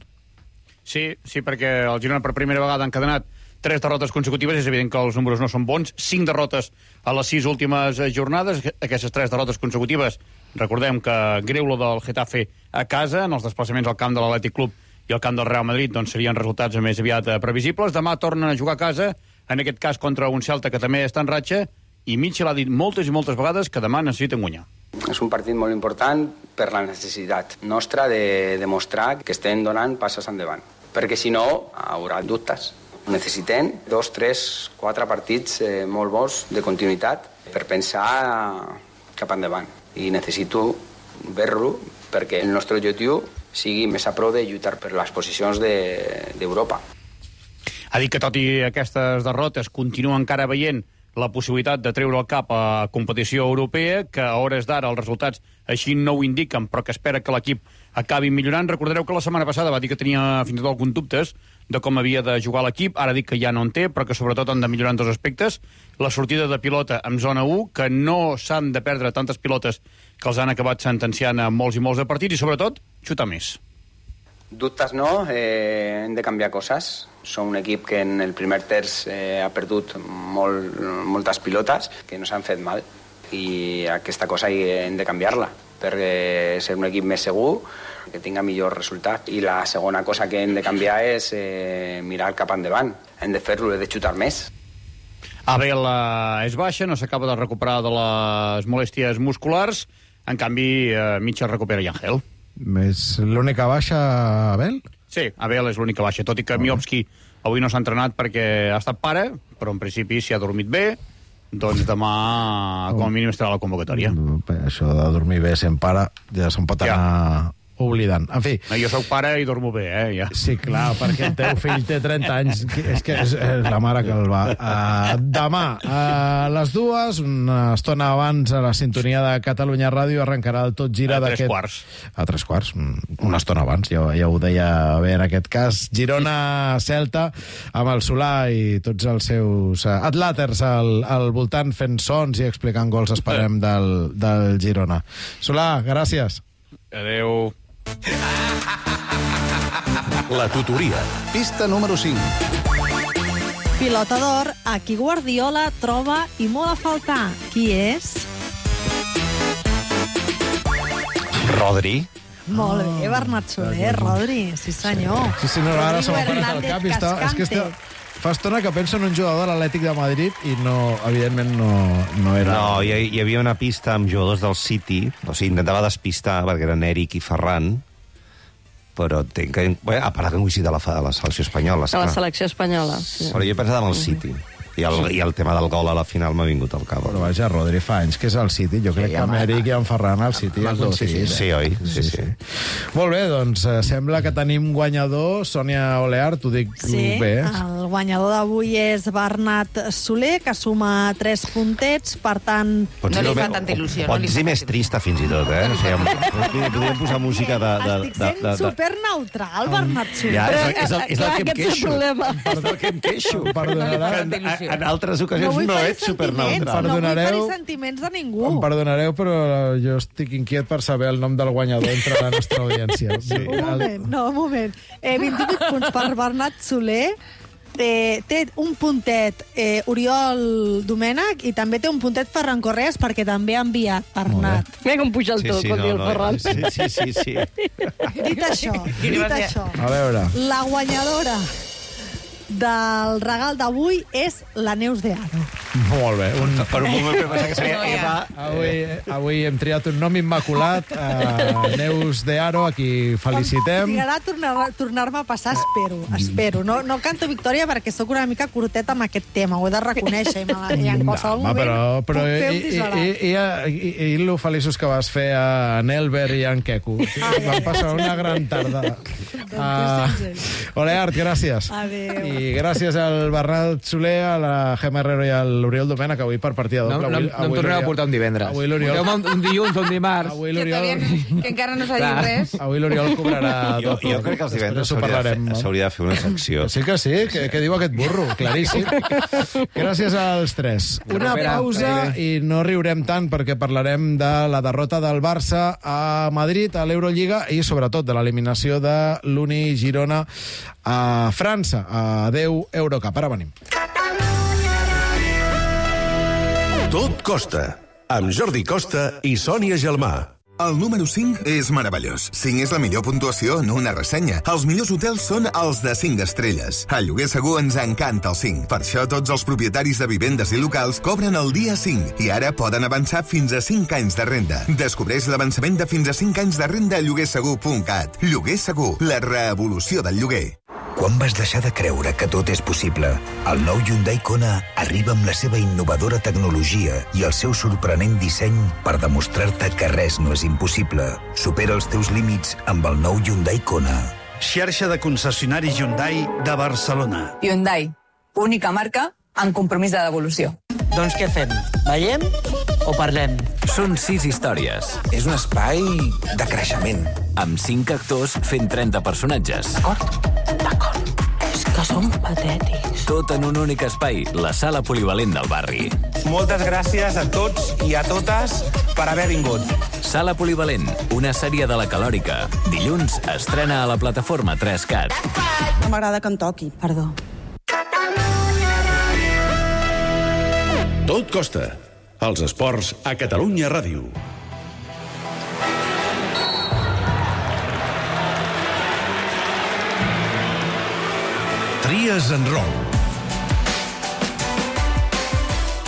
Sí, sí, perquè el Girona per primera vegada ha encadenat tres derrotes consecutives. És evident que els números no són bons. Cinc derrotes a les sis últimes jornades. Aquestes tres derrotes consecutives, recordem que greu lo del Getafe a casa, en els desplaçaments al camp de l'Atlètic Club i el camp del Real Madrid, doncs serien resultats més aviat previsibles. Demà tornen a jugar a casa, en aquest cas contra un Celta que també està en ratxa, i Mitchell ha dit moltes i moltes vegades que demà necessiten guanyar. És un partit molt important per la necessitat nostra de demostrar que estem donant passes endavant, perquè si no haurà dubtes. Necessitem dos, tres, quatre partits eh, molt bons de continuïtat per pensar cap endavant, i necessito veure-lo perquè el nostre objectiu sigui més a prou de lluitar per les posicions d'Europa. De, ha dit que tot i aquestes derrotes continua encara veient la possibilitat de treure el cap a competició europea, que a hores d'ara els resultats així no ho indiquen, però que espera que l'equip acabi millorant. Recordareu que la setmana passada va dir que tenia fins i tot alguns dubtes de com havia de jugar l'equip, ara dic que ja no en té, però que sobretot han de millorar en dos aspectes. La sortida de pilota en zona u, que no s'han de perdre tantes pilotes que els han acabat sentenciant a molts i molts de partits, i sobretot xutar més. Dubtes no, eh, hem de canviar coses. Som un equip que en el primer terç eh, ha perdut molt, moltes pilotes que no s'han fet mal, i aquesta cosa hem de canviar-la per ser un equip més segur, que tinga millor resultat. I la segona cosa que hem de canviar és eh, mirar cap endavant. Hem de fer-lo, hem de xutar més. Abel eh, és baixa, no s'acaba de recuperar de les molèsties musculars. En canvi, eh, Mitchell recupera i Ángel. És l'única baixa, Abel? Sí, Abel és l'única baixa, tot i que Miovski avui no s'ha entrenat perquè ha estat pare, però en principi si ha dormit bé, doncs demà com a mínim estarà a la convocatòria. Això de dormir bé sent pare ja se'n pot anar ja oblidant. En fi... No, jo sóc pare i dormo bé, eh? Ja. Sí, clar, perquè el teu fill té trenta anys. És que és, és la mare que el va. Uh, demà, a les dues, una estona abans, a la sintonia de Catalunya Ràdio, arrencarà el Tot Gira d'aquest... A tres quarts. A tres quarts, una estona abans, ja, ja ho deia bé en aquest cas. Girona-Celta, amb el Solà i tots els seus atlàters al, al voltant fent sons i explicant gols, esperem, del, del Girona. Solà, gràcies. Adéu. La tutoria. Pista número cinc. Pilota d'or, a qui Guardiola troba i molt a faltar. Qui és? Rodri. Molt bé, Bernat Soler, Rodri, sí senyor. Sí, sí, no, ara se m'ha parat al cap i està... És que està... Fa estona que penso en un jugador de l'Atlètic de Madrid i no, evidentment no, no era... No, hi, hi havia una pista amb jugadors del City, o sigui, intentava despistar perquè eren Eric i Ferran, però entenc que... Bé, a part que han coincidit a la, a la selecció espanyola. A la selecció espanyola, sí. Però jo he pensat en el City. I el, I el tema del gol a la final m'ha vingut al cap. Però vaja, Rodri fa anys que és al City. Jo crec sí, que amb Eric i en Ferran al City ja coincidit. Sí, sí, oi? Sí, sí. sí. Molt bé, doncs sembla que tenim guanyador. Sònia Oleart, t'ho dic sí, bé. El guanyador d'avui és Bernat Soler, que suma tres puntets, per tant... Pots No li dir-ho fa bé- tanta il·lusió, o no li Pots fa dir més trista, fins i tot, eh? O sigui, podríem- podríem posar música de... de, Estic de, sent de, de... superneutral, Bernat Soler. Ja, és, Però, el- és, el, és del clar, que em aquest és el queixo. problema. És del que em queixo. Perdonarà, En, en, en altres No ocasions vull no, ferir ets superneutral. sentiments, no vull Perdonareu. ferir sentiments de ningú. Em perdonareu, però jo estic inquiet per saber el nom del guanyador entre la nostra audiència. Sí. Un moment, no, un moment. Eh, vint-i-vuit punts per Bernat Soler. Eh, té un puntet eh, Oriol Domènech i també té un puntet Ferran Correas perquè també ha enviat Bernat. Mira com puja el to, quan diu el Ferran. Sí, sí, sí, sí. Dit això, dit això, A veure. la guanyadora del regal d'avui és la Neus de Aro. Molt bé. Un... Per un moment vam pensar que seria Eva. Avui, avui hem triat un nom immaculat, uh, Neus de Aro, a qui felicitem. Trigarà a tornar- tornar-me a passar, espero, espero. No, no canto victòria perquè sóc una mica curteta amb aquest tema, ho he de reconèixer, i, me la- i en qualsevol Home, moment però, però puc fer un i, i, disbarat. i, i, i, i lo feliços que vas fer a Nelber i a en Queco. Van passar una gran tarda. Uh, Ole, Art, gràcies. Adéu. I gràcies al Bernat Soler, a la Gemma Herrero i a l'Oriol Domènech, avui per partida No, doble. no, Avui- no em avui torneu a l'Oriol- portar un divendres. Avui l'Oriol... Porteu-me un dilluns o un dimarts. Avui Que, l'Oriol... todavía, que encara no s'ha dit Clar, res. avui l'Oriol cobrarà Jo, doble. jo crec que els divendres Després ho s'hauria de, parlarem, fer, no? s'hauria de fer una secció. Sí que sí, que, que diu aquest burro, claríssim. Gràcies als tres. Una Espera, pausa espera. i no riurem tant perquè parlarem de la derrota del Barça a Madrid, a l'Eurolliga, i sobretot de l'eliminació de l'Uni Girona a França. Adéu, Eurocup. Ara venim. Tot costa, amb Jordi Costa i Sònia Gelmà. El número cinc és meravellós. cinc és la millor puntuació en una ressenya. Els millors hotels són els de cinc estrelles. A Lloguer Segur ens encanta el cinc. Per això tots els propietaris de vivendes i locals cobren el dia cinc i ara poden avançar fins a cinc anys de renda. Descobreix l'avançament de fins a cinc anys de renda a lloguer segur punt cat. Lloguer Segur, la revolució del lloguer. Quan vas deixar de creure que tot és possible? El nou Hyundai Kona arriba amb la seva innovadora tecnologia i el seu sorprenent disseny per demostrar-te que res no és impossible. Supera els teus límits amb el nou Hyundai Kona. Xarxa de concessionaris Hyundai de Barcelona. Hyundai, única marca en compromís de devolució. Doncs què fem? Veiem o parlem? Són sis històries. És un espai de creixement. Amb cinc actors fent trenta personatges. D'acord, d'acord. És que som patètics. Tot en un únic espai, la sala polivalent del barri. Moltes gràcies a tots i a totes per haver vingut. Sala polivalent, una sèrie de la Calòrica. Dilluns estrena a la plataforma tres cat. No m'agrada que em toqui, perdó. Tot costa. Els esports a Catalunya Ràdio. Tries en rol.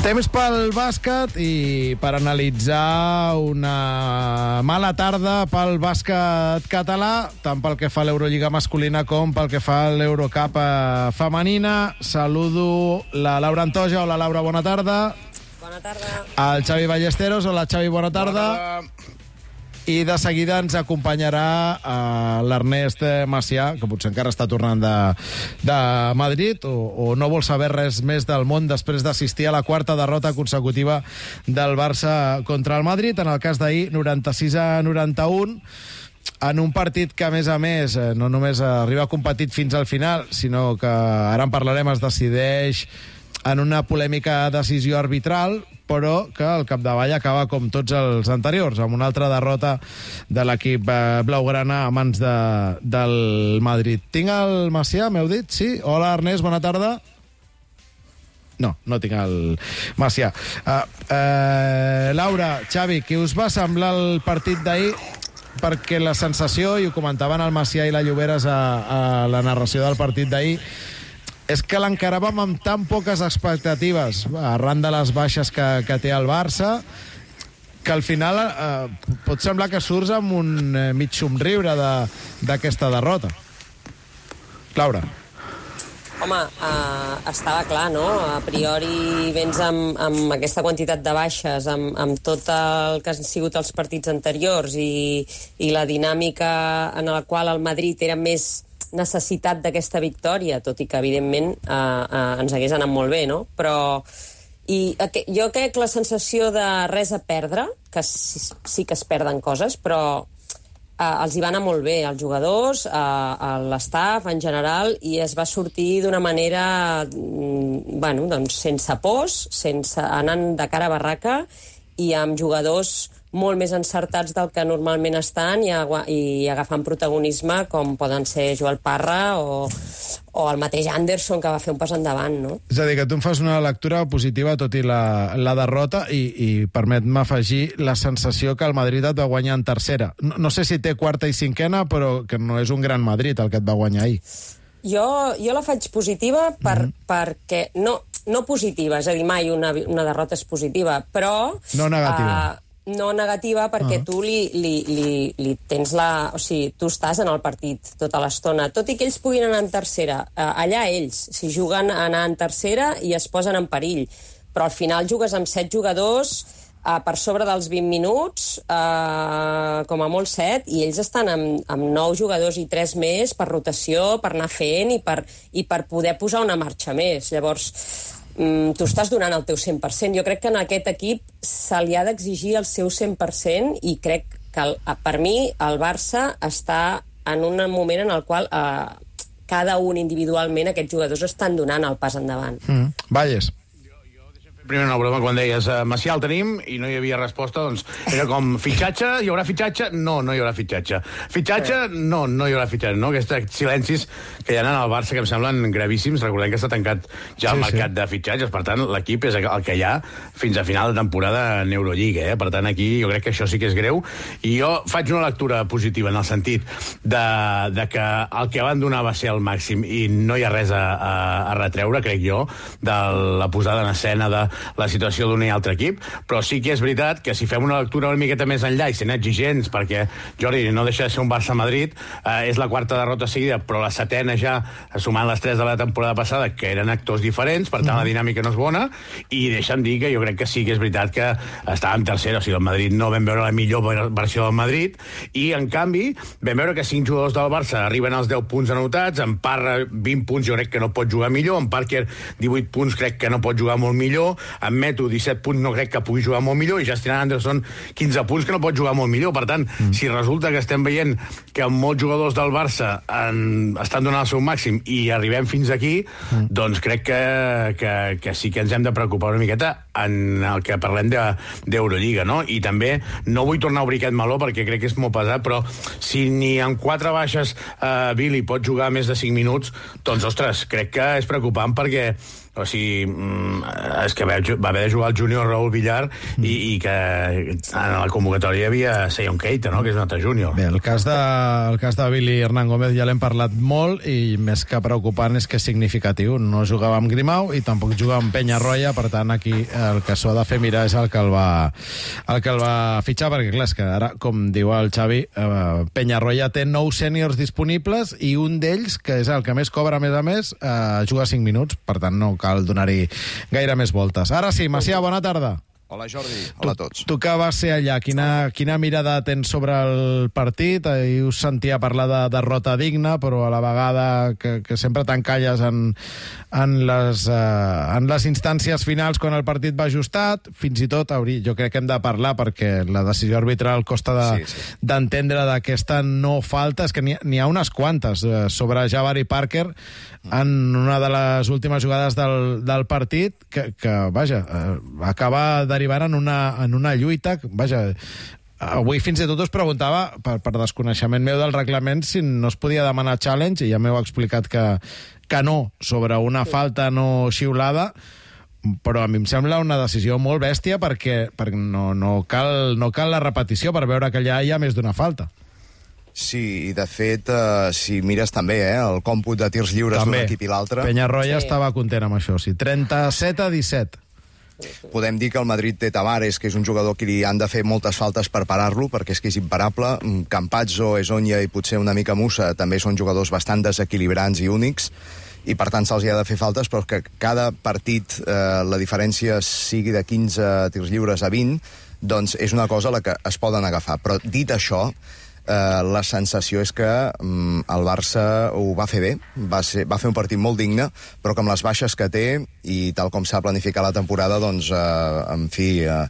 Temps pel bàsquet i per analitzar una mala tarda pel bàsquet català, tant pel que fa a l'Eurolliga masculina com pel que fa a l'Eurocup femenina. Saludo la Laura Antoja. Hola, Laura, bona tarda. Bona tarda. El Xavi Ballesteros. Hola, Xavi, bona tarda. Bona tarda. I de seguida ens acompanyarà uh, l'Ernest Macià, que potser encara està tornant de, de Madrid, o, o no vol saber res més del món després d'assistir a la quarta derrota consecutiva del Barça contra el Madrid, en el cas d'ahir, noranta-sis a noranta-un, en un partit que, a més a més, no només arriba competit fins al final, sinó que, ara en parlarem, es decideix en una polèmica decisió arbitral, però que al capdavall acaba com tots els anteriors, amb una altra derrota de l'equip blaugrana a mans de, del Madrid. Tinc el Macià, m'heu dit? Sí? Hola, Ernest, bona tarda. No, no tinc el Macià. Uh, uh, Laura, Xavi, què us va semblar el partit d'ahir? Perquè la sensació, i ho comentaven el Macià i la Lloberes a, a la narració del partit d'ahir, és que l'encaràvem amb tan poques expectatives arran de les baixes que, que té el Barça, que al final eh, pot semblar que surts amb un eh, mig somriure d'aquesta de, derrota. Laura. Home, uh, estava clar, no? A priori vens amb, amb aquesta quantitat de baixes, amb, amb tot el que han sigut els partits anteriors i, i la dinàmica en la qual el Madrid era més necessitat d'aquesta victòria, tot i que, evidentment, eh, eh, ens hagués anat molt bé, no? Però i aqu- jo crec la sensació de res a perdre, que sí, sí que es perden coses, però eh, els hi va anar molt bé als jugadors, a, a l'estaf en general, i es va sortir d'una manera, mm, bueno, doncs sense pors, sense anant de cara a barraca, i amb jugadors molt més encertats del que normalment estan i, agua, i agafant protagonisme, com poden ser Joel Parra o, o el mateix Anderson, que va fer un pas endavant, no? És a dir, que tu em fas una lectura positiva tot i la, la derrota i, i permet-me afegir la sensació que el Madrid et va guanyar en tercera. No, no sé si té quarta i cinquena, però que no és un gran Madrid el que et va guanyar ahir. Jo, jo la faig positiva per, mm. perquè... No, no positiva, és a dir, mai una, una derrota és positiva, però... No negativa. Uh, no negativa perquè uh -huh. tu li, li, li, li tens la... O sigui, tu estàs en el partit tota l'estona. Tot i que ells puguin anar en tercera, uh, allà ells, si juguen a anar en tercera i es posen en perill. Però al final jugues amb set jugadors uh, per sobre dels vint minuts, uh, com a molt set, i ells estan amb, amb nou jugadors i tres més per rotació, per anar fent i per, i per poder posar una marxa més. Llavors, mm, tu estàs donant el teu cent per cent. Jo crec que en aquest equip se li ha d'exigir el seu cent per cent i crec que, el, per mi, el Barça està en un moment en el qual eh, cada un individualment, aquests jugadors estan donant el pas endavant. Mm. Valles. Primer una broma, quan deies uh, Macià el tenim i no hi havia resposta, doncs era com fitxatge, hi haurà fitxatge? No, no hi haurà fitxatge. Fitxatge? No, no hi haurà fitxatge, no? Aquests silencis que hi ha al Barça que em semblen gravíssims. Recordem que està tancat ja el sí, mercat sí. de fitxatges, per tant, l'equip és el que hi ha fins a final de temporada en Eurolliga, eh? Per tant, aquí jo crec que això sí que és greu, i jo faig una lectura positiva en el sentit de, de que el que van donar va ser el màxim i no hi ha res a, a, a retreure, crec jo, de la posada en escena de la situació d'un i altre equip, però sí que és veritat que si fem una lectura una miqueta més enllà i sent exigents, perquè, Jordi, no deixa de ser un Barça-Madrid, eh, és la quarta derrota seguida, però la setena ja, sumant les tres de la temporada passada, que eren actors diferents, per tant la dinàmica no és bona, i deixa'm dir que jo crec que sí que és veritat que estava en tercera, o sigui, el Madrid no vam veure la millor versió del Madrid, i en canvi vam veure que cinc jugadors del Barça arriben als deu punts anotats, en Parra vint punts jo crec que no pot jugar millor, en Parker divuit punts crec que no pot jugar molt millor, en Meto disset punts no crec que pugui jugar molt millor, i Justin Anderson quinze punts que no pot jugar molt millor. Per tant, mm. si resulta que estem veient que molts jugadors del Barça en, estan donant el seu màxim i arribem fins aquí, mm. doncs crec que, que, que sí que ens hem de preocupar una miqueta en el que parlem d'Eurolliga, no? I també no vull tornar a obrir aquest meló perquè crec que és molt pesat, però si ni en quatre baixes eh, Billy pot jugar més de cinc minuts, doncs, ostres, crec que és preocupant perquè o sigui, és que va haver de jugar el júnior Raúl Villar i, i que en la convocatòria hi havia Sion Keita, no? Que és un altre júnior. Bé, el cas de, el cas de Billy Hernán Gómez ja l'hem parlat molt i més que preocupant és que és significatiu. No jugava amb Grimau i tampoc jugava amb Peñarroya, per tant aquí el que s'ha de fer mirar és el que el va, el que el va fitxar, perquè clar, és que ara, com diu el Xavi, eh, Peñarroya té nou sèniors disponibles i un d'ells, que és el que més cobra a més a més, eh, juga cinc minuts, per tant no cal donar-hi gaire més voltes. Ara sí, Macià, bona tarda. Hola, Jordi. Hola a tots. Tu, tu que vas ser allà, quina, quina mirada tens sobre el partit? Ahir us sentia parlar de derrota digna, però a la vegada que, que sempre t'encalles en, en, les, uh, en les instàncies finals quan el partit va ajustat. Fins i tot, hauria, jo crec que hem de parlar perquè la decisió arbitral costa d'entendre de, sí, sí. d'aquesta no falta. És que n'hi ha unes quantes uh, sobre Jabari Parker en una de les últimes jugades del, del partit que, que vaja, uh, acaba de derivant en una, en una lluita, vaja, avui fins i tot us preguntava, per, per desconeixement meu del reglament, si no es podia demanar challenge, i ja m'heu explicat que, que no, sobre una falta no xiulada, però a mi em sembla una decisió molt bèstia perquè, perquè no, no, cal, no cal la repetició per veure que allà hi ha més d'una falta. Sí, i de fet, uh, si mires també eh, el còmput de tirs lliures d'un equip i l'altre... Peñarroya sí. estava content amb això, sí. trenta-set a disset. Podem dir que el Madrid té Tavares, que és un jugador que li han de fer moltes faltes per parar-lo, perquè és que és imparable. Campazzo, Esonia i potser una mica Musa també són jugadors bastant desequilibrants i únics, i per tant se'ls hi ha de fer faltes, però que cada partit eh, la diferència sigui de quinze tirs lliures a vint, doncs és una cosa a la que es poden agafar. Però dit això, Uh, la sensació és que um, el Barça ho va fer bé, va, ser, va fer un partit molt digne, però que amb les baixes que té i tal com s'ha planificat la temporada, doncs, uh, en fi, uh,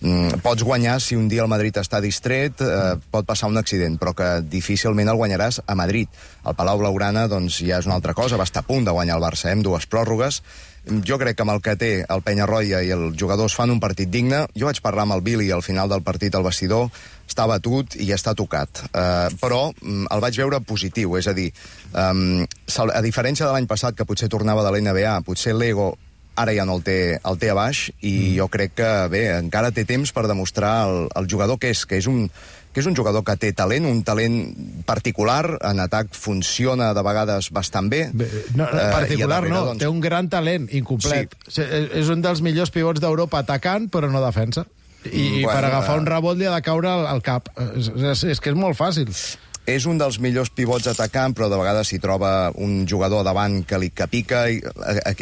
um, pots guanyar si un dia el Madrid està distret, uh, pot passar un accident, però que difícilment el guanyaràs a Madrid. El Palau Blaugrana, doncs, ja és una altra cosa, va estar a punt de guanyar el Barça, eh, amb dues pròrrogues. Jo crec que amb el que té el Peñarroya i els jugadors fan un partit digne. Jo vaig parlar amb el Billy al final del partit al vestidor, està batut i està tocat. Uh, però um, el vaig veure positiu, és a dir, um, a diferència de l'any passat, que potser tornava de l'N B A, potser l'ego ara ja no el té, el té a baix, i mm. jo crec que, bé, encara té temps per demostrar el, el jugador que és, que és un que és un jugador que té talent, un talent particular, en atac funciona de vegades bastant bé. bé no, particular uh, darrere, no, doncs... té un gran talent, incomplet. Sí. És un dels millors pivots d'Europa atacant, però no defensa. I bueno, per agafar un rebot li ha de caure al, al cap. És, és, és que és molt fàcil. És un dels millors pivots atacant, però de vegades s'hi troba un jugador davant que li que pica, i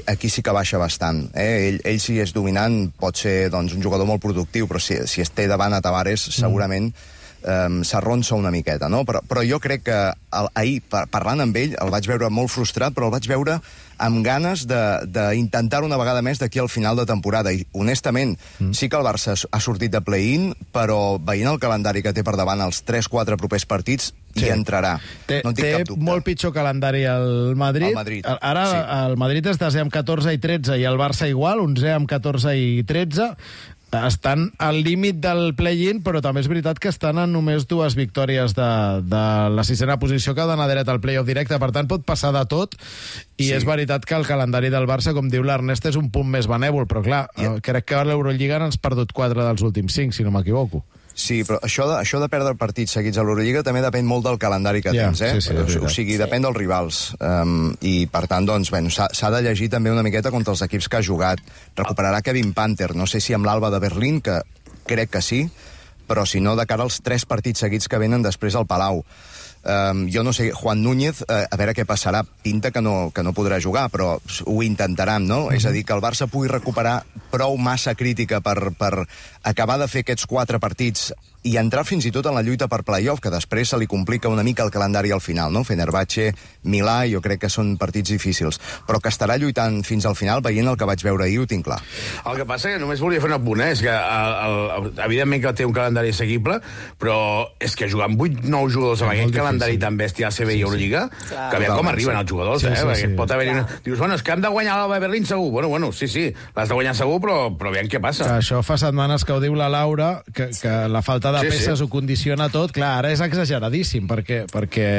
aquí sí que baixa bastant. Eh? Ell, ell si és dominant pot ser, doncs, un jugador molt productiu, però si, si es té davant a Tavares, segurament mm. Um, s'arronsa una miqueta, no? Però, però jo crec que el, ahir, par parlant amb ell, el vaig veure molt frustrat, però el vaig veure amb ganes d'intentar-ho una vegada més d'aquí al final de temporada. I, honestament, mm. sí que el Barça ha sortit de play-in, però veient el calendari que té per davant els tres quatre propers partits, sí. hi entrarà. Té, no té molt pitjor calendari el Madrid. El Madrid. Ara sí. el Madrid és desè amb catorze i tretze i el Barça igual, onzè amb catorze i tretze. Estan al límit del play-in, però també és veritat que estan en només dues victòries de, de la sisena posició que ha d'anar dret al play-off directe. Per tant, pot passar de tot, i sí. és veritat que el calendari del Barça, com diu l'Ernest, és un punt més benèvol, però clar, yeah. crec que a l'Eurolliga n'han perdut quatre dels últims cinc, si no m'equivoco. Sí, però això de, això de perdre partits seguits a l'Eurolliga també depèn molt del calendari que yeah, tens, eh? Sí, sí, o, o sigui, depèn dels rivals. Um, I, per tant, doncs, bueno, s'ha de llegir també una miqueta contra els equips que ha jugat. Recuperarà Kevin Panther, no sé si amb l'Alba de Berlín, que crec que sí, però si no, de cara als tres partits seguits que venen després al Palau. Um, jo no sé, Juan Núñez, uh, a veure què passarà, pinta que no, que no podrà jugar, però ho intentaran, no? Mm-hmm. És a dir, que el Barça pugui recuperar prou massa crítica per, per acabar de fer aquests quatre partits i entrar fins i tot en la lluita per playoff, que després se li complica una mica el calendari al final, no? Fenerbahçe, Milà, jo crec que són partits difícils, però que estarà lluitant fins al final, veient el que vaig veure ahir, ho tinc clar. El que passa que només volia fer un apunt, eh? És que el, el, evidentment que té un calendari assequible, però és que jugar amb vuit nou jugadors amb aquest calendari tan bèstia a C B i Eurolliga, sí, sí. que aviam com arriben els jugadors, sí, eh? Sí, Perquè sí. pot haver una... Dius, bueno, és que hem de guanyar l'Alba de Berlín segur. Bueno, bueno, sí, sí, l'has de guanyar segur, però, però aviam què passa. Que això fa setmanes que ho diu la Laura, que, que la falta de sí, peces sí. ho condiciona tot. Clar, ara és exageradíssim, perquè, perquè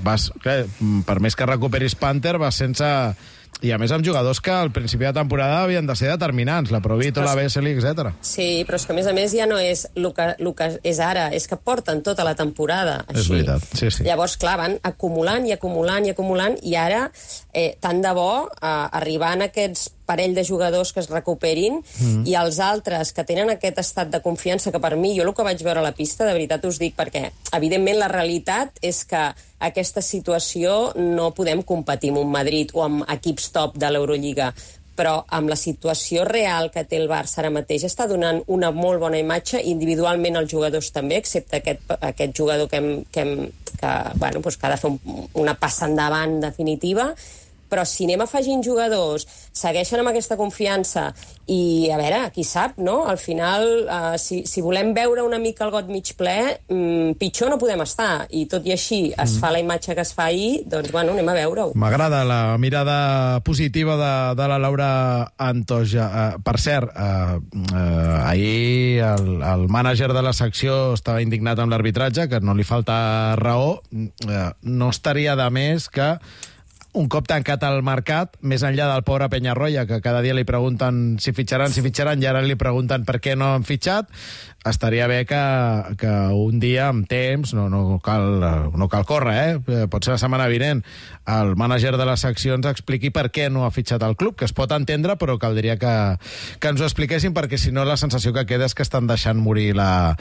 vas, clar, per més que recuperis Panther, vas sense... I a més amb jugadors que al principi de temporada havien de ser determinants, la Provito, la Vesely, etcètera. Sí, però és que a més a més ja no és el que, el que és ara, és que porten tota la temporada així. És veritat, sí, sí. Llavors, clar, van acumulant i acumulant i acumulant, i ara, eh, tant de bo, eh, arribant a aquests parell de jugadors que es recuperin mm. i els altres que tenen aquest estat de confiança, que per mi, jo el que vaig veure a la pista, de veritat us dic, perquè evidentment la realitat és que aquesta situació no podem competir amb un Madrid o amb equips top de l'Eurolliga, però amb la situació real que té el Barça ara mateix està donant una molt bona imatge, individualment els jugadors també, excepte aquest, aquest jugador que, hem, que, hem, que, bueno, doncs que ha de fer un, una passa endavant definitiva. Però si anem afegint jugadors, segueixen amb aquesta confiança i, a veure, qui sap, no? Al final, uh, si, si volem veure una mica el got mig ple, um, pitjor no podem estar. I tot i així es mm. fa la imatge que es fa ahir, doncs, bueno, anem a veure-ho. M'agrada la mirada positiva de, de la Laura Antoja. Uh, per cert, uh, uh, ahir el, el mànager de la secció estava indignat amb l'arbitratge, que no li falta raó. Uh, no estaria de més que un cop tancat el mercat, més enllà del pobre Peñarroya, que cada dia li pregunten si fitxaran, si fitxaran, i ara li pregunten per què no han fitxat, estaria bé que, que un dia, amb temps, no, no, cal, no cal córrer, eh? Pot ser la setmana vinent, el mànager de la secció ens expliqui per què no ha fitxat el club, que es pot entendre, però caldria que, que ens ho expliquessin, perquè si no la sensació que queda és que estan deixant morir la,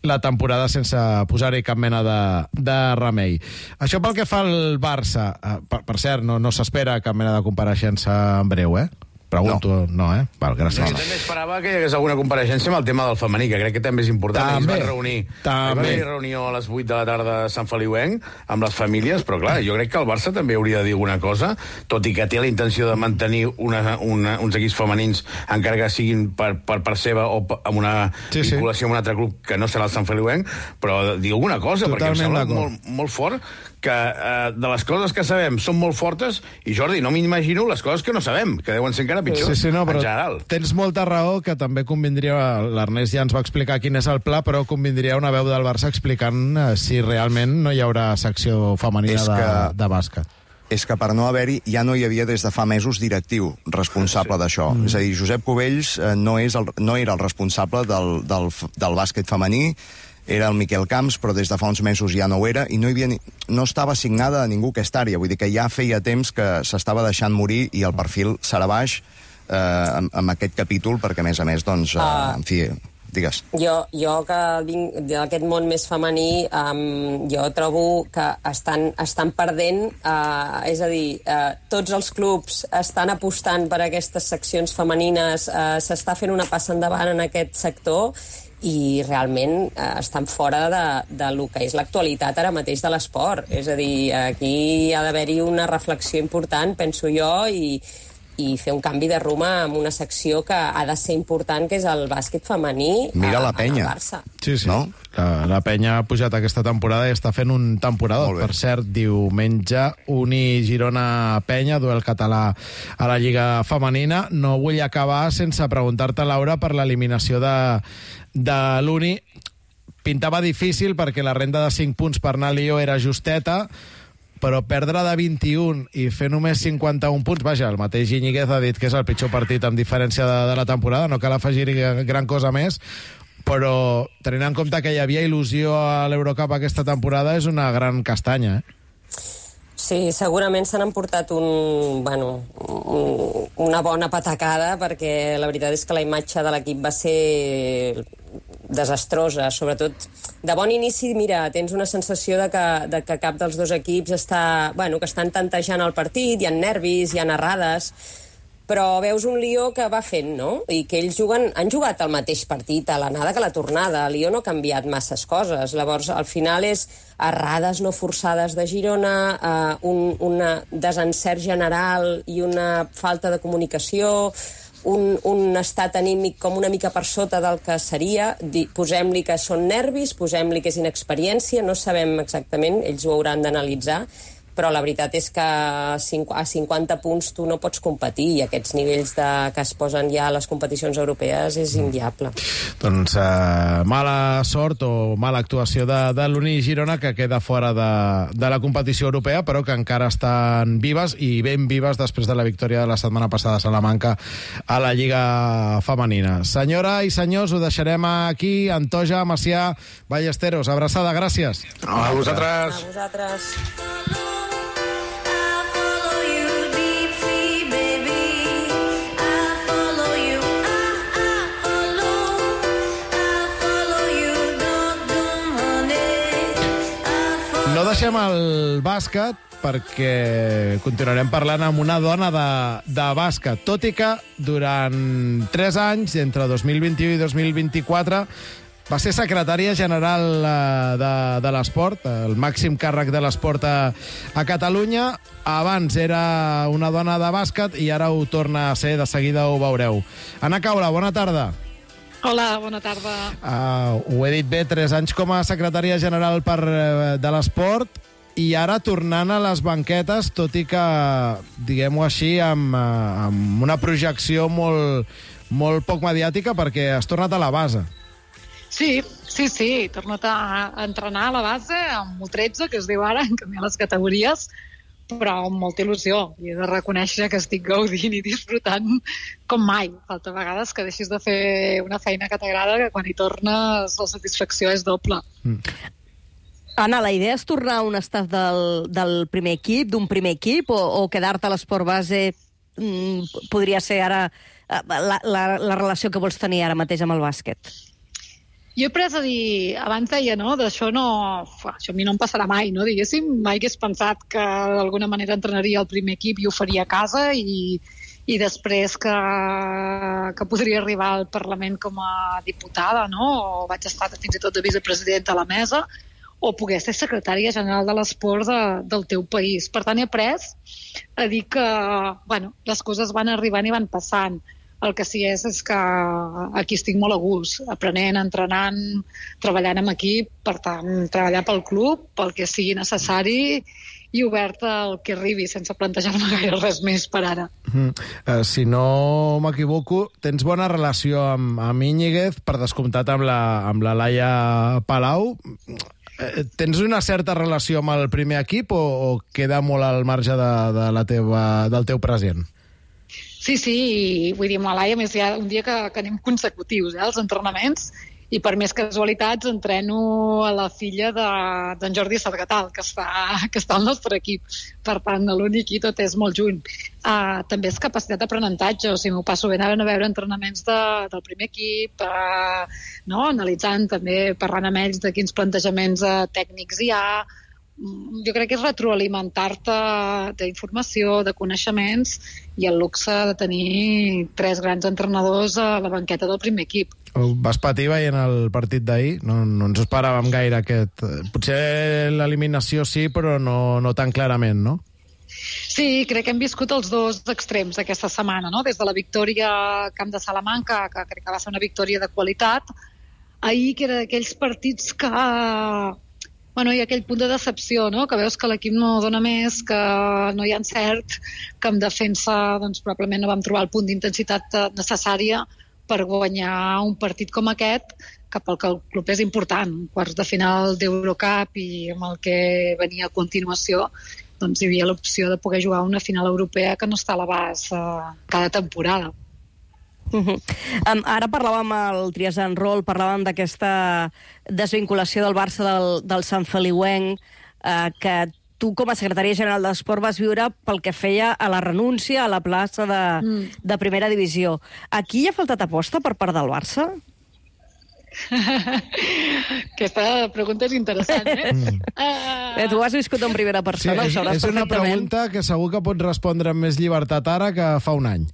la temporada sense posar-hi cap mena de, de remei. Això pel que fa al Barça, per, per cert, no, no s'espera cap mena de compareixença en breu, eh? Pregunto, no, no eh? Val, gràcies. Jo també esperava que hi hagués alguna compareixença amb el tema del femení, que crec que també és important. També, es van reunir, també. Es va haver reunió a les vuit de la tarda a Sant Feliuenc amb les famílies, però clar, jo crec que el Barça també hauria de dir alguna cosa, tot i que té la intenció de mantenir una, una, uns equips femenins, encara que siguin per, per part seva o amb una sí, vinculació sí. amb un altre club que no serà el Sant Feliuenc, però dir alguna cosa, Totalment perquè em sembla molt, molt fort que eh, de les coses que sabem són molt fortes, i Jordi, no m'imagino les coses que no sabem, que deuen ser encara pitjors, sí, sí, no, però en general. Tens molta raó, que també convindria, l'Ernest ja ens va explicar quin és el pla, però convindria una veu del Barça explicant eh, si realment no hi haurà secció femenina de, que... de bàsquet. És que per no haver-hi, ja no hi havia des de fa mesos directiu responsable sí. d'això. Mm. És a dir, Josep Cubells eh, no, és el, no era el responsable del, del, del bàsquet femení, era el Miquel Camps, però des de fa uns mesos ja no ho era, i no, hi havia ni, no estava assignada a ningú aquesta àrea. Vull dir que ja feia temps que s'estava deixant morir i el perfil serà baix eh, amb, amb aquest capítol, perquè, a més a més, doncs, eh, uh. en fi... Digues. Jo, jo que vinc d'aquest món més femení, um, jo trobo que estan, estan perdent, uh, és a dir, uh, tots els clubs estan apostant per aquestes seccions femenines, uh, s'està fent una passa endavant en aquest sector, i realment eh, estan fora de, de lo que és l'actualitat ara mateix de l'esport. És a dir, aquí ha d'haver-hi una reflexió important, penso jo, i, i fer un canvi de rumb amb una secció que ha de ser important, que és el bàsquet femení. Mira la Penya. Al Barça. Sí, sí. No? La, la Penya ha pujat aquesta temporada i està fent un temporador. Per cert, diumenge, Uni Girona Penya, duel català a la Lliga Femenina. No vull acabar sense preguntar-te, Laura, per l'eliminació de, de l'Uni. Pintava difícil perquè la renda de cinc punts per anar a Lió era justeta, però perdre de vint-i-un i fer només cinquanta-un punts, vaja, el mateix Iñiguez ha dit que és el pitjor partit amb diferència de, de la temporada, no cal afegir-hi gran cosa més, però tenint en compte que hi havia il·lusió a l'Eurocup aquesta temporada, és una gran castanya, eh? Sí, segurament s'han emportat un, bueno, un, una bona patacada, perquè la veritat és que la imatge de l'equip va ser desastrosa, sobretot de bon inici. Mira, tens una sensació de que, de que cap dels dos equips està, bueno, que estan tantejant el partit, hi ha nervis, hi ha errades, però veus un Lió que va fent, no? I que ells juguen, han jugat el mateix partit a l'anada que a la tornada. El Lió no ha canviat masses coses. Llavors, al final és errades no forçades de Girona, eh, un una desencert general i una falta de comunicació, un, un estat anímic com una mica per sota del que seria. Posem-li que són nervis, posem-li que és inexperiència, no sabem exactament, ells ho hauran d'analitzar, però la veritat és que a cinquanta punts tu no pots competir, i aquests nivells de, que es posen ja a les competicions europees és inviable. Doncs uh, mala sort o mala actuació de, de l'Uni Girona, que queda fora de, de la competició europea, però que encara estan vives, i ben vives després de la victòria de la setmana passada a Salamanca a la Lliga Femenina. Senyora i senyors, ho deixarem aquí. Antoja, Macià, Ballesteros, abraçada, gràcies. A vosaltres. A vosaltres. No deixem el bàsquet perquè continuarem parlant amb una dona de, de bàsquet, tot i que durant tres anys, entre dos mil vint-i-u i dos mil vint-i-quatre, va ser secretària general de, de l'esport, el màxim càrrec de l'esport a, a Catalunya. Abans era una dona de bàsquet i ara ho torna a ser, de seguida ho veureu. Anna Caula, bona tarda. Hola, bona tarda. Uh, ho he dit bé, tres anys com a secretària general per, de l'esport, i ara tornant a les banquetes, tot i que, diguem-ho així, amb, amb una projecció molt, molt poc mediàtica, perquè has tornat a la base. Sí, sí, sí, he tornat a entrenar a la base, amb U tretze, que es diu ara, en canviar les categories, però amb molta il·lusió. I he de reconèixer que estic gaudint i disfrutant com mai. Falta vegades que deixis de fer una feina que t'agrada, que quan hi tornes la satisfacció és doble. Mm. Anna, la idea és tornar a un estat del, del primer equip, d'un primer equip, o, o quedar-te a l'esport base mm, podria ser ara la, la, la relació que vols tenir ara mateix amb el bàsquet? Jo he pres a dir, abans deia, no, d'això no, això a mi no em passarà mai, no, diguéssim, mai hagués pensat que d'alguna manera entrenaria el primer equip i ho faria a casa, i, i després que, que podria arribar al Parlament com a diputada, no? O vaig estar fins i tot de vicepresidenta a la mesa, o poder ser secretària general de l'esport de, del teu país. Per tant, he après a dir que bueno, les coses van arribant i van passant. El que sí és, és que aquí estic molt a gust, aprenent, entrenant, treballant amb equip, per tant, treballar pel club, pel que sigui necessari i oberta al que arribi, sense plantejar-me gaire res més per ara. Mm. Uh, si no m'equivoco, tens bona relació amb, amb Íñiguez, per descomptat amb la, amb la Laia Palau. Uh, tens una certa relació amb el primer equip o, o queda molt al marge de, de la teva, del teu present? Sí, sí, vull dir, amb la Laia, més hi ha un dia que, que anem consecutius, eh, als entrenaments, i per més casualitats entreno a la filla d'en de, Jordi Sargatal, que està, que està al nostre equip. Per tant, l'únic i tot és molt junt. Uh, també és capacitat d'aprenentatge, o sigui, m'ho passo bé anant a veure entrenaments de, del primer equip, uh, no? Analitzant també, parlant amb ells de quins plantejaments uh, tècnics hi ha. Jo crec que és retroalimentar-te d'informació, de coneixements, i el luxe de tenir tres grans entrenadors a la banqueta del primer equip. Vas patir veient el partit d'ahir? No, no ens esperàvem gaire aquest... Potser l'eliminació sí, però no, no tan clarament, no? Sí, crec que hem viscut els dos extrems aquesta setmana, no? Des de la victòria al camp de Salamanca, que crec que va ser una victòria de qualitat, ahir que era d'aquells partits que... Bueno, hi ha aquell punt de decepció, no? Que veus que l'equip no dona més, que no hi ha encert, que en defensa doncs, probablement no vam trobar el punt d'intensitat necessària per guanyar un partit com aquest, que pel que el club és important. Quarts de final d'Eurocup i amb el que venia a continuació, doncs hi havia l'opció de poder jugar una final europea que no està a l'abast uh, cada temporada. Uh -huh. um, ara parlàvem al Trias en Rol, parlàvem d'aquesta desvinculació del Barça del, del Sant Feliuenc, uh, que tu com a secretària general d'Esport vas viure pel que feia a la renúncia a la plaça de, mm. de primera divisió. Aquí hi ha faltat aposta per part del Barça? Aquesta pregunta és interessant, eh? Mm. Uh... eh tu has viscut en primera persona, sí, ho sabràs és una perfectament. pregunta que segur que pots respondre amb més llibertat ara que fa un any.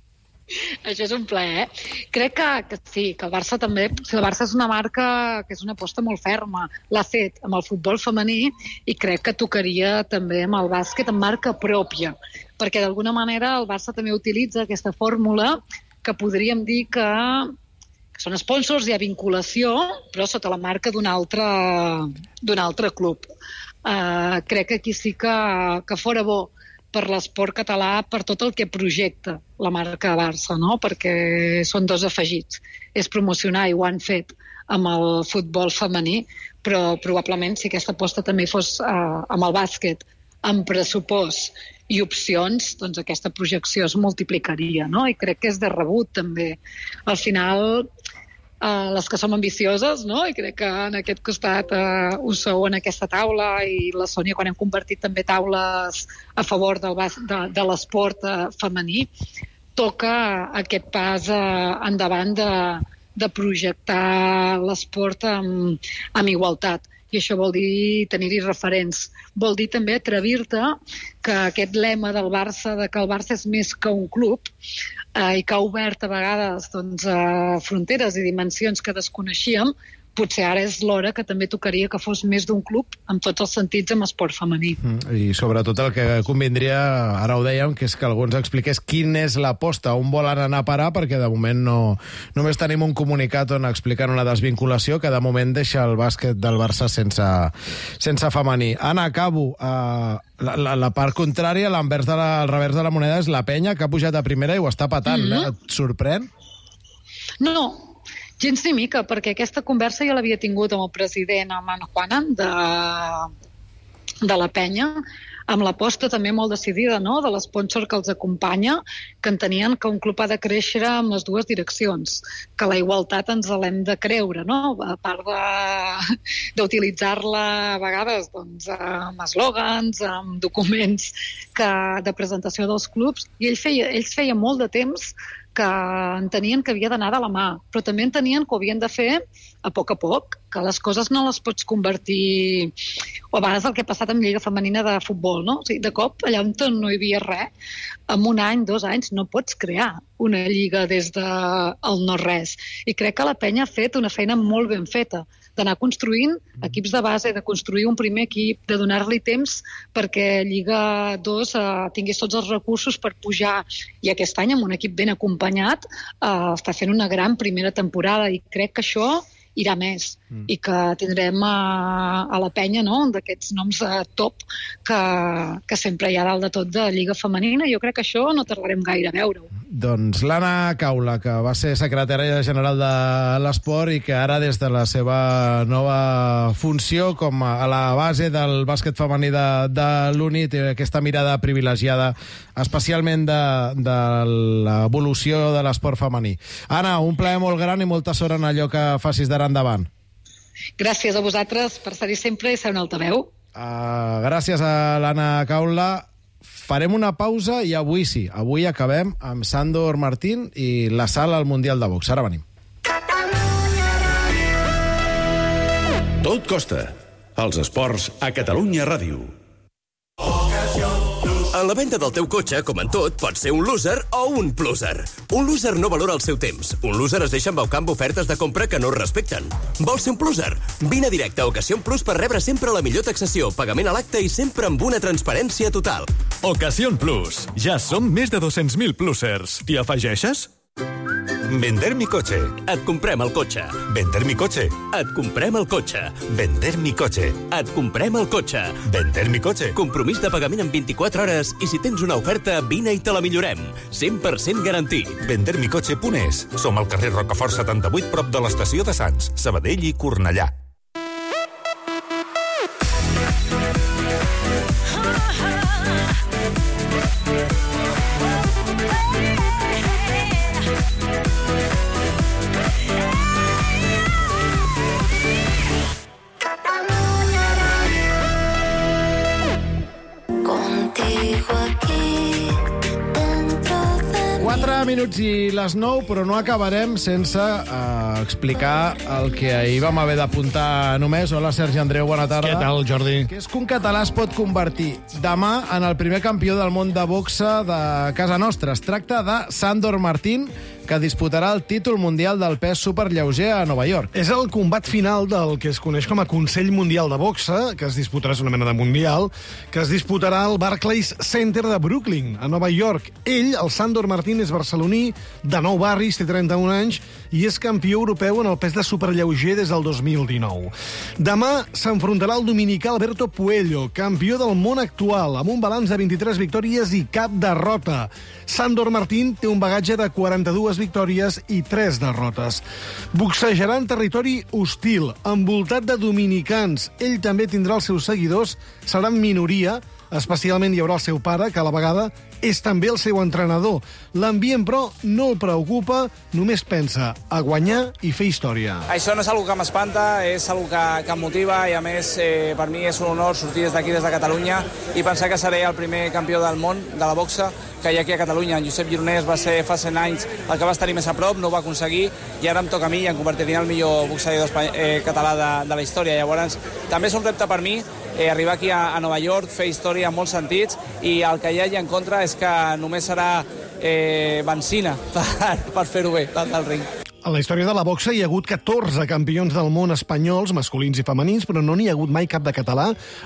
Això és un plaer, eh? Crec que, que sí, que el Barça també... O sigui, el Barça és una marca que és una aposta molt ferma. L'ha fet amb el futbol femení i crec que tocaria també amb el bàsquet amb marca pròpia. Perquè d'alguna manera el Barça també utilitza aquesta fórmula que podríem dir que, que són sponsors, hi ha vinculació, però sota la marca d'un altre, d'un altre club. Uh, crec que aquí sí que, que fora bo per l'esport català, per tot el que projecta la marca Barça, no? Perquè són dos afegits. És promocionar, i ho han fet amb el futbol femení, però probablement si aquesta aposta també fos eh, amb el bàsquet, amb pressupost i opcions, doncs aquesta projecció es multiplicaria, no? I crec que és de rebut, també. Al final, Uh, les que som ambicioses, no? I crec que en aquest costat uh, ho sou en aquesta taula, i la Sònia, quan hem convertit també taules a favor del bas- de, de l'esport uh, femení, toca aquest pas uh, endavant de, de projectar l'esport amb, amb igualtat. I això vol dir tenir-hi referents. Vol dir també atrevir-te que aquest lema del Barça, de que el Barça és més que un club, eh, i que ha obert a vegades doncs, eh, fronteres i dimensions que desconeixíem, potser ara és l'hora que també tocaria que fos més d'un club, en tots els sentits, amb esport femení. Mm, I sobretot el que convindria, ara ho dèiem, que és que algú ens expliqués quina és l'aposta, on volen anar a parar, perquè de moment no, només tenim un comunicat on expliquen una desvinculació que de moment deixa el bàsquet del Barça sense, sense femení. Anna, acabo. Uh, la, la, la part contrària, l'envers de la, el revers de la moneda, és la penya, que ha pujat a primera i ho està patant. Mm-hmm. Et sorprèn? No, gens ni mica, perquè aquesta conversa ja l'havia tingut amb el president, amb en Juanan, de, de la penya, amb l'aposta també molt decidida, no?, de l'esponsor que els acompanya, que entenien que un club ha de créixer amb les dues direccions, que la igualtat ens l'hem de creure, no?, a part de, d'utilitzar-la a vegades doncs, amb eslògans, amb documents que, de presentació dels clubs, i ell feia, ells feia molt de temps que entenien que havia d'anar de la mà, però també entenien que ho havien de fer a poc a poc, que les coses no les pots convertir... O a vegades el que ha passat amb Lliga Femenina de futbol, no? O sigui, de cop, allà on no hi havia res, en un any, dos anys, no pots crear una lliga des del no-res. I crec que la penya ha fet una feina molt ben feta, d'anar construint equips de base, de construir un primer equip, de donar-li temps perquè Lliga dos eh, tingués tots els recursos per pujar. I aquest any, amb un equip ben acompanyat, eh, està fent una gran primera temporada i crec que això irà més mm. i que tindrem a, a la penya, no?, d'aquests noms de top que, que sempre hi ha dalt de tot de Lliga Femenina. Jo crec que això no tardarem gaire a veure-ho. Doncs l'Anna Caula, que va ser secretària general de l'esport i que ara des de la seva nova funció com a la base del bàsquet femení de, de l'Uni té aquesta mirada privilegiada especialment de, de l'evolució de l'esport femení. Anna, un plaer molt gran i molta sort en allò que facis d'ara endavant. Gràcies a vosaltres per ser-hi sempre i ser un altaveu. Uh, gràcies a l'Anna Caula. Farem una pausa i avui sí, avui acabem amb Sandor Martín i la sala al Mundial de Box. Ara venim. Tot costa. Els esports a Catalunya Ràdio. En la venda del teu cotxe, com en tot, pots ser un loser o un pluser. Un loser no valora el seu temps. Un loser es deixa embaucar amb ofertes de compra que no es respecten. Vols ser un pluser? Vine directe a Ocasión Plus per rebre sempre la millor taxació, pagament a l'acte i sempre amb una transparència total. Ocasión Plus. Ja som més de dos-cents mil plusers. T'hi afegeixes? Vender mi coche. Et comprem el cotxe. Vender mi coche. Et comprem el cotxe. Vender mi coche. Et comprem el cotxe. Vender mi coche. Compromís de pagament en vint-i-quatre hores i si tens una oferta, vine i te la millorem. cent per cent garantit. vender mi coche punt es. Som al carrer Rocafort setanta-vuit, prop de l'estació de Sants, Sabadell i Cornellà. quatre minuts i les nou, però no acabarem sense uh, explicar el que ahir vam haver d'apuntar només. Hola, Sergi Andreu, bona tarda. Què tal, Jordi? Que és que un català es pot convertir demà en el primer campió del món de boxa de casa nostra. Es tracta de Sandor Martín, que disputarà el títol mundial del pes superlleuger a Nova York. És el combat final del que es coneix com a Consell Mundial de Boxa, que es disputarà, és una mena de mundial, que es disputarà al Barclays Center de Brooklyn, a Nova York. Ell, el Sandor Martín, és barceloní, de nou barris, té trenta-un anys, i és campió europeu en el pes de superlleuger des del dos mil dinou. Demà s'enfrontarà el dominicà Alberto Puello, campió del món actual, amb un balanç de vint-i-tres victòries i cap derrota. Sandor Martín té un bagatge de quaranta-dues victòries i tres derrotes. Boxejarà en territori hostil, envoltat de dominicans. Ell també tindrà els seus seguidors, serà en minoria, especialment hi haurà el seu pare, que a la vegada és també el seu entrenador. L'ambient, però, no el preocupa, només pensa a guanyar i fer història. Això no és una que m'espanta, és una que, que em motiva i, a més, eh, per mi és un honor sortir des d'aquí, des de Catalunya, i pensar que seré el primer campió del món de la boxa que hi ha aquí a Catalunya. En Josep Gironès va ser fa cent anys el que va estar més a prop, no ho va aconseguir, i ara em toca a mi i em convertiré en el millor boxeador eh, català de, de la història. Llavors, també és un repte per mi eh, arribar aquí a, a Nova York, fer història en molts sentits, i el que hi hagi en contra és que només serà eh, benzina per, per fer-ho bé, dalt del ring. A la història de la boxa hi ha hagut catorze campions del món espanyols, masculins i femenins, però no n'hi ha hagut mai cap de català.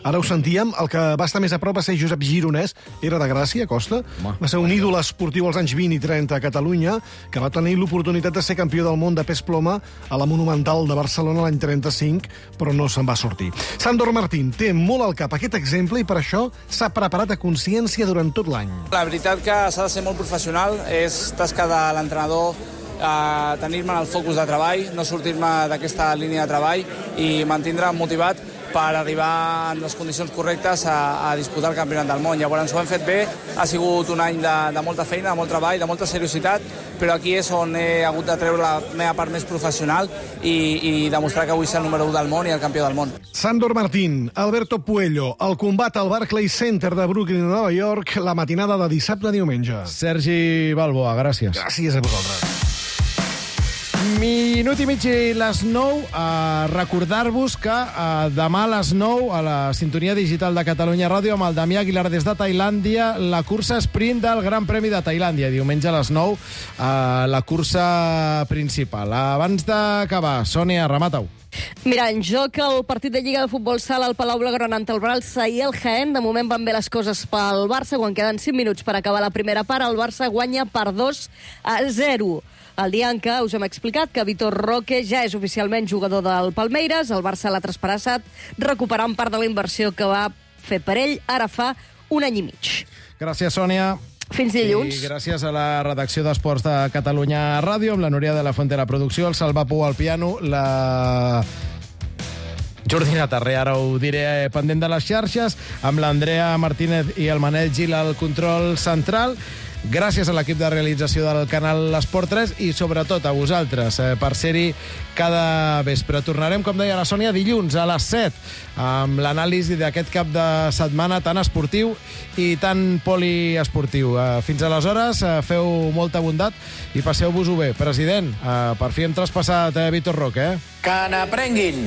Ara ho sentíem, el que va estar més a prop va ser Josep Gironès, era de Gràcia, Costa. Home, va ser un ídol esportiu als anys vint i trenta a Catalunya, que va tenir l'oportunitat de ser campió del món de pes ploma a la Monumental de Barcelona l'any trenta-cinc, però no se'n va sortir. Sandor Martín té molt al cap aquest exemple i per això s'ha preparat a consciència durant tot l'any. La veritat que s'ha de ser molt professional, és tasca de l'entrenador, a tenir-me en el focus de treball, no sortir-me d'aquesta línia de treball i mantindre'm motivat per arribar en les condicions correctes a, a disputar el campionat del món. Llavors ho hem fet bé, ha sigut un any de, de molta feina, de molt treball, de molta seriositat, però aquí és on he hagut de treure la meva part més professional i, i demostrar que vull ser el número u del món i el campió del món. Sandor Martín, Alberto Puello, el combat al Barclays Center de Brooklyn, Nova York, la matinada de dissabte a diumenge. Sergi Balboa, gràcies. Gràcies a vosaltres. Minut i mig i les nou. Uh, recordar-vos que uh, demà a les nou a la sintonia digital de Catalunya Ràdio amb el Damià Aguilar des de Tailàndia, la cursa sprint del Gran Premi de Tailàndia. Diumenge a les nou uh, la cursa principal. Abans d'acabar, Sònia, remata-ho. Mira, en joc el partit de Lliga de Futbol Sala al Palau Blaugrana ante el Barça i el Jaén. De moment van bé les coses pel Barça. Quan queden cinc minuts per acabar la primera part, el Barça guanya per dos a zero. El dia en què us hem explicat que Vitor Roque ja és oficialment jugador del Palmeiras, el Barça l'ha traspassat, recuperant part de la inversió que va fer per ell ara fa un any i mig. Gràcies, Sònia. Fins dilluns. I gràcies a la redacció d'Esports de Catalunya Ràdio, amb la Núria de la Fuente a la producció, el Salva Pou al piano, la Jordina Tarré, ara ho diré, pendent de les xarxes, amb l'Andrea Martínez i el Manel Gil al control central. Gràcies a l'equip de realització del canal Esport tres i sobretot a vosaltres eh, per ser-hi cada vespre. Tornarem, com deia la Sònia, dilluns a les set amb l'anàlisi d'aquest cap de setmana tan esportiu i tan poliesportiu. Eh, fins aleshores, eh, feu molta bondat i passeu-vos-ho bé. President, eh, per fi hem traspassat eh, Vitor Roque, eh? Que n'aprenguin!